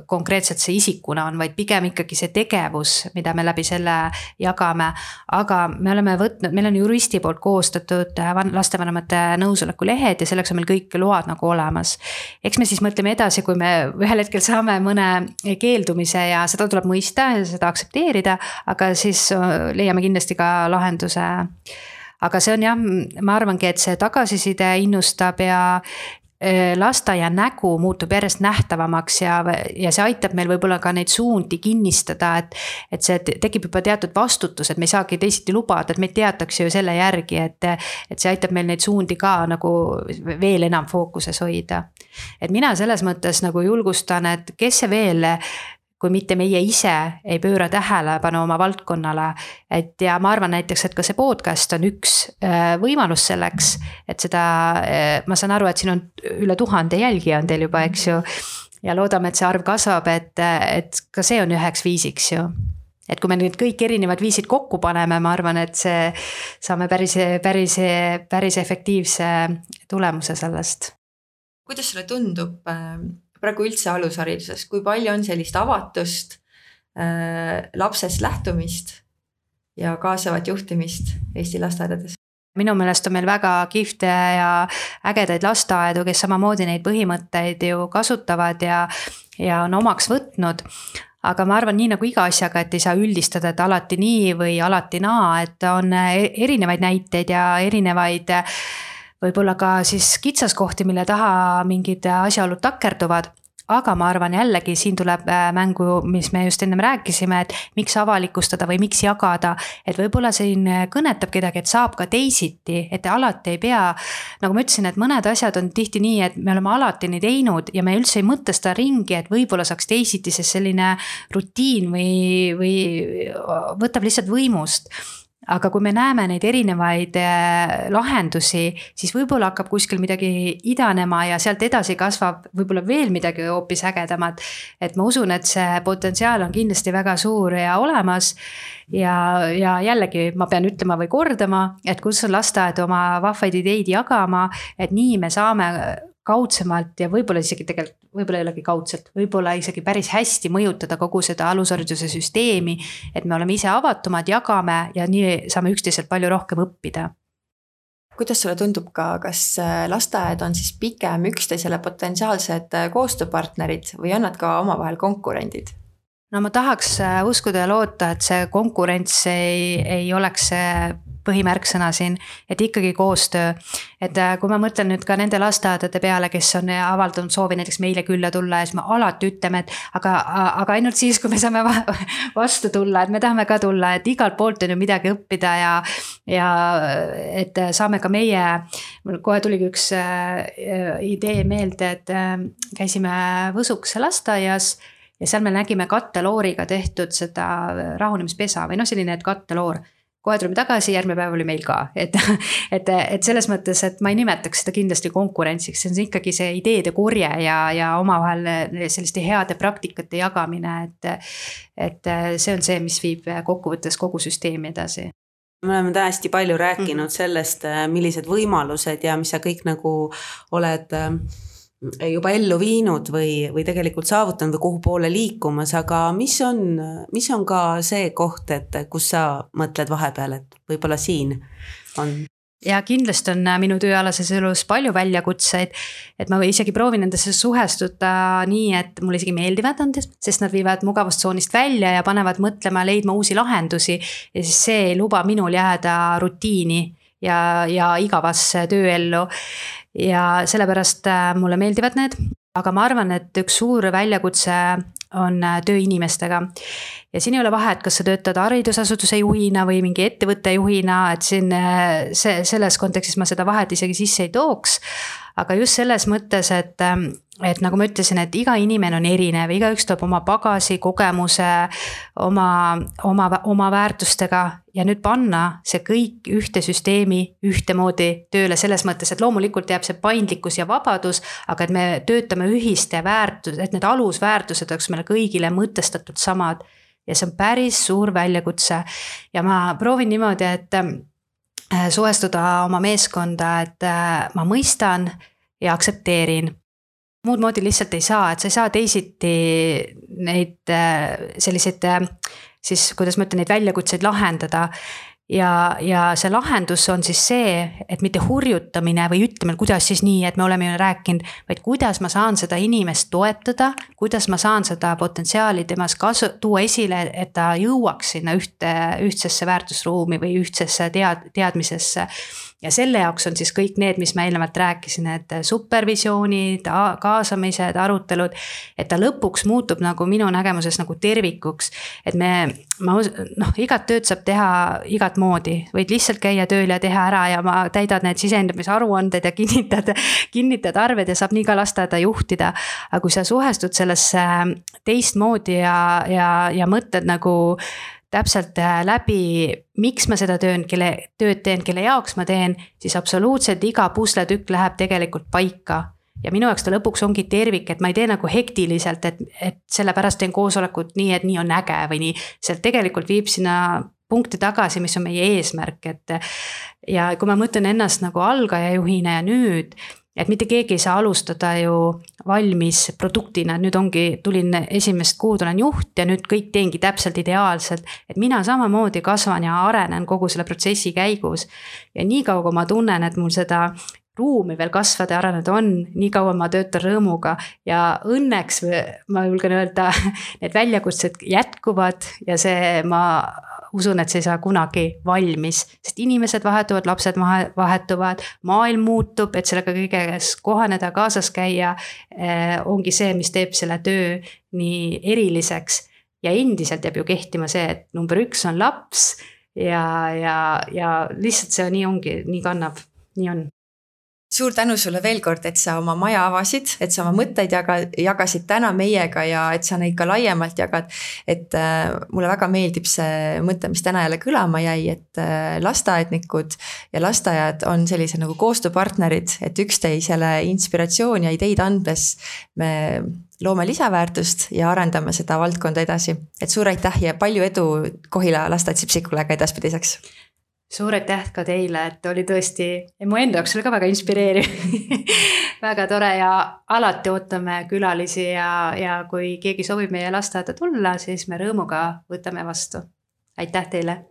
konkreetselt see isikuna on, vaid pigem ikkagi see tegevus, mida me läbi selle jagame. Aga me oleme võtnud, meil on juristi poolt koostatud lastevanemate nõusoleku lehed ja selleks on meil kõik load nagu olemas. Eks me siis mõtleme edasi, kui me ühel hetkel saame mõne keeldumise ja seda tuleb mõista ja seda aktsepteerida, aga siis leiame kindlasti ka lahenduse. Aga see on jah, ma arvangi, et see tagasiside innustab ja lasteaia nägu muutub järjest nähtavamaks ja see aitab meil võib-olla ka neid suundi kinnistada, et see tekib juba teatud vastutus, et me ei saagi teisiti lubada, et meid teatakse ju selle järgi, et see aitab meil neid suundi ka nagu veel enam fookuses hoida. Et mina selles mõttes nagu julgustan, et kes see veel, kui mitte meie ise ei pööra tähelepanu oma valdkonnale, et ja ma arvan näiteks, et ka see podcast on üks võimalus selleks, et seda, ma saan aru, et siin on üle 1000 jälgija on teil juba, eks ju, ja loodame, et see arv kasvab, et ka see on üheks viisiks ju. Et kui me nüüd kõik erinevad viisid kokku paneme, ma arvan, et see saame päris efektiivse tulemuse sellest.
Kuidas sulle tundub praegu üldse alushariduses, kui palju on sellist avatust, lapsest lähtumist ja kaasavat juhtimist Eesti lasteaedades?
Minu meelest on meil väga kihvte ja ägedaid lasteaedu, kes samamoodi neid põhimõtteid ju kasutavad ja on omaks võtnud. Aga ma arvan, nii nagu iga asjaga, et ei saa üldistada, et alati nii või alati naa, et on erinevaid näiteid ja erinevaid võib-olla ka siis kitsaskohti, mille taha mingid asjaolud takerduvad. Aga ma arvan jällegi, siin tuleb mängu, mis me just enne rääkisime, et miks avalikustada või miks jagada, et võib-olla siin kõnetab kedagi, et saab ka teisiti, et alati ei pea, nagu ma ütlesin, et mõned asjad on tihti nii, et me oleme alati nii teinud ja me üldse ei mõtesta ringi, et võib-olla saaks teisiti, sest selline rutiin või võtab lihtsalt võimust. Aga kui me näeme neid erinevaid lahendusi, siis võib-olla hakkab kuskil midagi idanema ja sealt edasi kasvab võib-olla veel midagi hoopis ägedamat. Et ma usun, et see potentsiaal on kindlasti väga suur ja olemas. Ja jällegi ma pean ütlema või kordama, et kus on lasteaed oma vahvaid ideid jagama, et nii me saame kaudsemalt ja võib-olla isegi tegelikult, võib-olla ei olegi kaudselt, võib-olla isegi päris hästi mõjutada kogu seda alushariduse süsteemi, et me oleme ise avatumad, jagame ja nii saame üksteiselt palju rohkem õppida.
Kuidas sulle tundub ka, kas lasteaed on siis pigem üksteisele potentsiaalsed koostööpartnerid või on nad ka omavahel konkurendid?
No ma tahaks uskuda ja loota, et see konkurents ei oleks põhimärksõna siin, et ikkagi koostöö. Et kui ma mõtlen nüüd ka nende lasteaedade peale, kes on avaldanud soovi näiteks meile külla tulla ja siis me alati ütleme, et aga ainult siis, kui me saame vastu tulla, et me tahame ka tulla, et igalt poolt on ju midagi õppida ja et saame ka meie, kohe tuligi üks idee meelde, et käisime Võsukese lasteaias ja seal me nägime kattelooriga tehtud seda rahunemispesa või selline, et katteloor. Kohe tulime tagasi, järgmine päev oli meil ka. Et selles mõttes, et ma ei nimetaks seda kindlasti konkurentsiks, see on ikkagi see ideede korje ja omavahel selliste heade praktikate jagamine, et see on see, mis viib kokkuvõttes kogu süsteemi edasi.
Me oleme hästi palju rääkinud sellest, millised võimalused ja mis sa kõik nagu oled juba ellu viinud või tegelikult saavutanud või kuhu poole liikumas, aga mis on ka see koht, et kus sa mõtled vahepeal, et võib-olla siin on?
Ja kindlasti on minu tööalases elus palju väljakutseid, et ma isegi proovin nendesse suhestuda nii, et mulle isegi meeldivad nad, sest nad viivad mugavustsoonist välja ja panevad mõtlema, leidma uusi lahendusi ja siis see ei luba minul jääda rutiini ja igavasse tööellu. Ja sellepärast mulle meeldivad need, aga ma arvan, et üks suur väljakutse on töö inimestega. Ja siin ei ole vahet, kas sa töötad haridusasutuse juhina või mingi ettevõtte juhina, et siin selles kontekstis ma seda vahet isegi sisse ei tooks. Aga just selles mõttes, et nagu ma ütlesin, et iga inimene on erinev, igaüks toob oma bagasi, kogemuse, oma väärtustega ja nüüd panna see kõik ühte süsteemi ühtemoodi tööle selles mõttes, et loomulikult jääb see paindlikkus ja vabadus, aga et me töötame ühiste väärtus, et need alusväärtused oleks meile kõigile mõtestatud samad ja see on päris suur väljakutse ja ma proovin niimoodi, suhestuda oma meeskonda, et ma mõistan ja aktsepteerin. Muud moodi lihtsalt ei saa, et sa ei saa teisiti neid selliseid, siis kuidas ma ütlen, neid väljakutseid lahendada. Ja see lahendus on siis see, et mitte hurjutamine või ütleme, kuidas siis nii, et me oleme ju rääkinud, vaid kuidas ma saan seda inimest toetada, kuidas ma saan seda potentsiaali temas tuua esile, et ta jõuaks sinna ühtsesse väärtusruumi või ühtsesse teadmisesse. Ja selle jaoks on siis kõik need, mis ma eelnevalt rääkisin, et supervisioonid, kaasamised, arutelud, et ta lõpuks muutub nagu minu nägemuses nagu tervikuks, et igat tööd saab teha igat moodi, võid lihtsalt käia tööl ja teha ära ja ma täidad need sisendamise aruanded ja kinnitad arved ja saab nii ka lasteaeda juhtida. Aga kui sa suhestud sellesse teistmoodi ja mõtled nagu täpselt läbi, miks ma seda tööd teen, kelle jaoks ma teen, siis absoluutselt iga pusletükk läheb tegelikult paika. Ja minu jaoks ta lõpuks ongi tervik, et ma ei tee nagu hektiliselt, et sellepärast teen koosolekut nii, et nii on äge või nii. Sealt tegelikult viib sinna punkti tagasi, mis on meie eesmärk. Ja kui ma mõtlen ennast nagu algaja juhina ja nüüd, et mitte keegi ei saa alustada ju valmis produktina, nüüd tulin esimest kuud, olen juht ja nüüd kõik teengi täpselt ideaalselt, et mina samamoodi kasvan ja arenen kogu selle protsessi käigus. Ja nii kaua, kui ma tunnen, et mul seda ruumi veel kasvada ja areneda on, nii kaua ma töötan rõõmuga ja õnneks ma julgen öelda, need väljakutsed jätkuvad ja ma usun, et see ei saa kunagi valmis, sest inimesed vahetuvad, lapsed vahetuvad, maailm muutub, et sellega kõiges kohaneda, kaasas käia, ongi see, mis teeb selle töö nii eriliseks ja endiselt jääb ju kehtima see, et number 1 on laps ja lihtsalt see nii ongi, nii kannab, nii on.
Suur tänu sulle veel kord, et sa oma maja avasid, et sa oma mõtteid jagasid täna meiega ja et sa neid ka laiemalt jagad. Et mulle väga meeldib see mõte, mis täna jälle kõlama jäi, et lasteaednikud ja lasteaiad on sellise nagu koostööpartnerid, et üksteisele inspiratsiooni ja ideid andes me loome lisaväärtust ja arendame seda valdkonda edasi. Et suur aitäh ja palju edu Kohila lasteaed Sipsikule ka edaspidiseks.
Suur aitäh ka teile, et oli tõesti, mu enda jaoks oli ka väga inspireeriv, väga tore ja alati ootame külalisi ja kui keegi soovib meie lasteaeda tulla, siis me rõõmuga võtame vastu. Aitäh teile!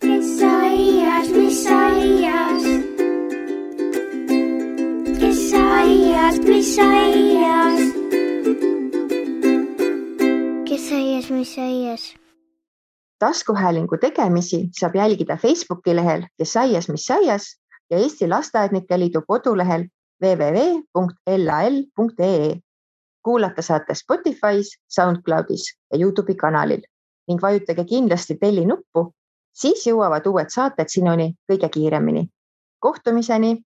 Kes aias? Kes aias?
Taskuhäälingu tegemisi saab jälgida Facebooki lehel Kes aias, mis aias ja Eesti Lasteaednike Liidu kodulehel www.lal.ee. Kuulata saate Spotify's, SoundCloudis ja YouTube'i kanalil ning vajutage kindlasti telli nuppu, siis jõuavad uued saated sinuni kõige kiiremini. Kohtumiseni!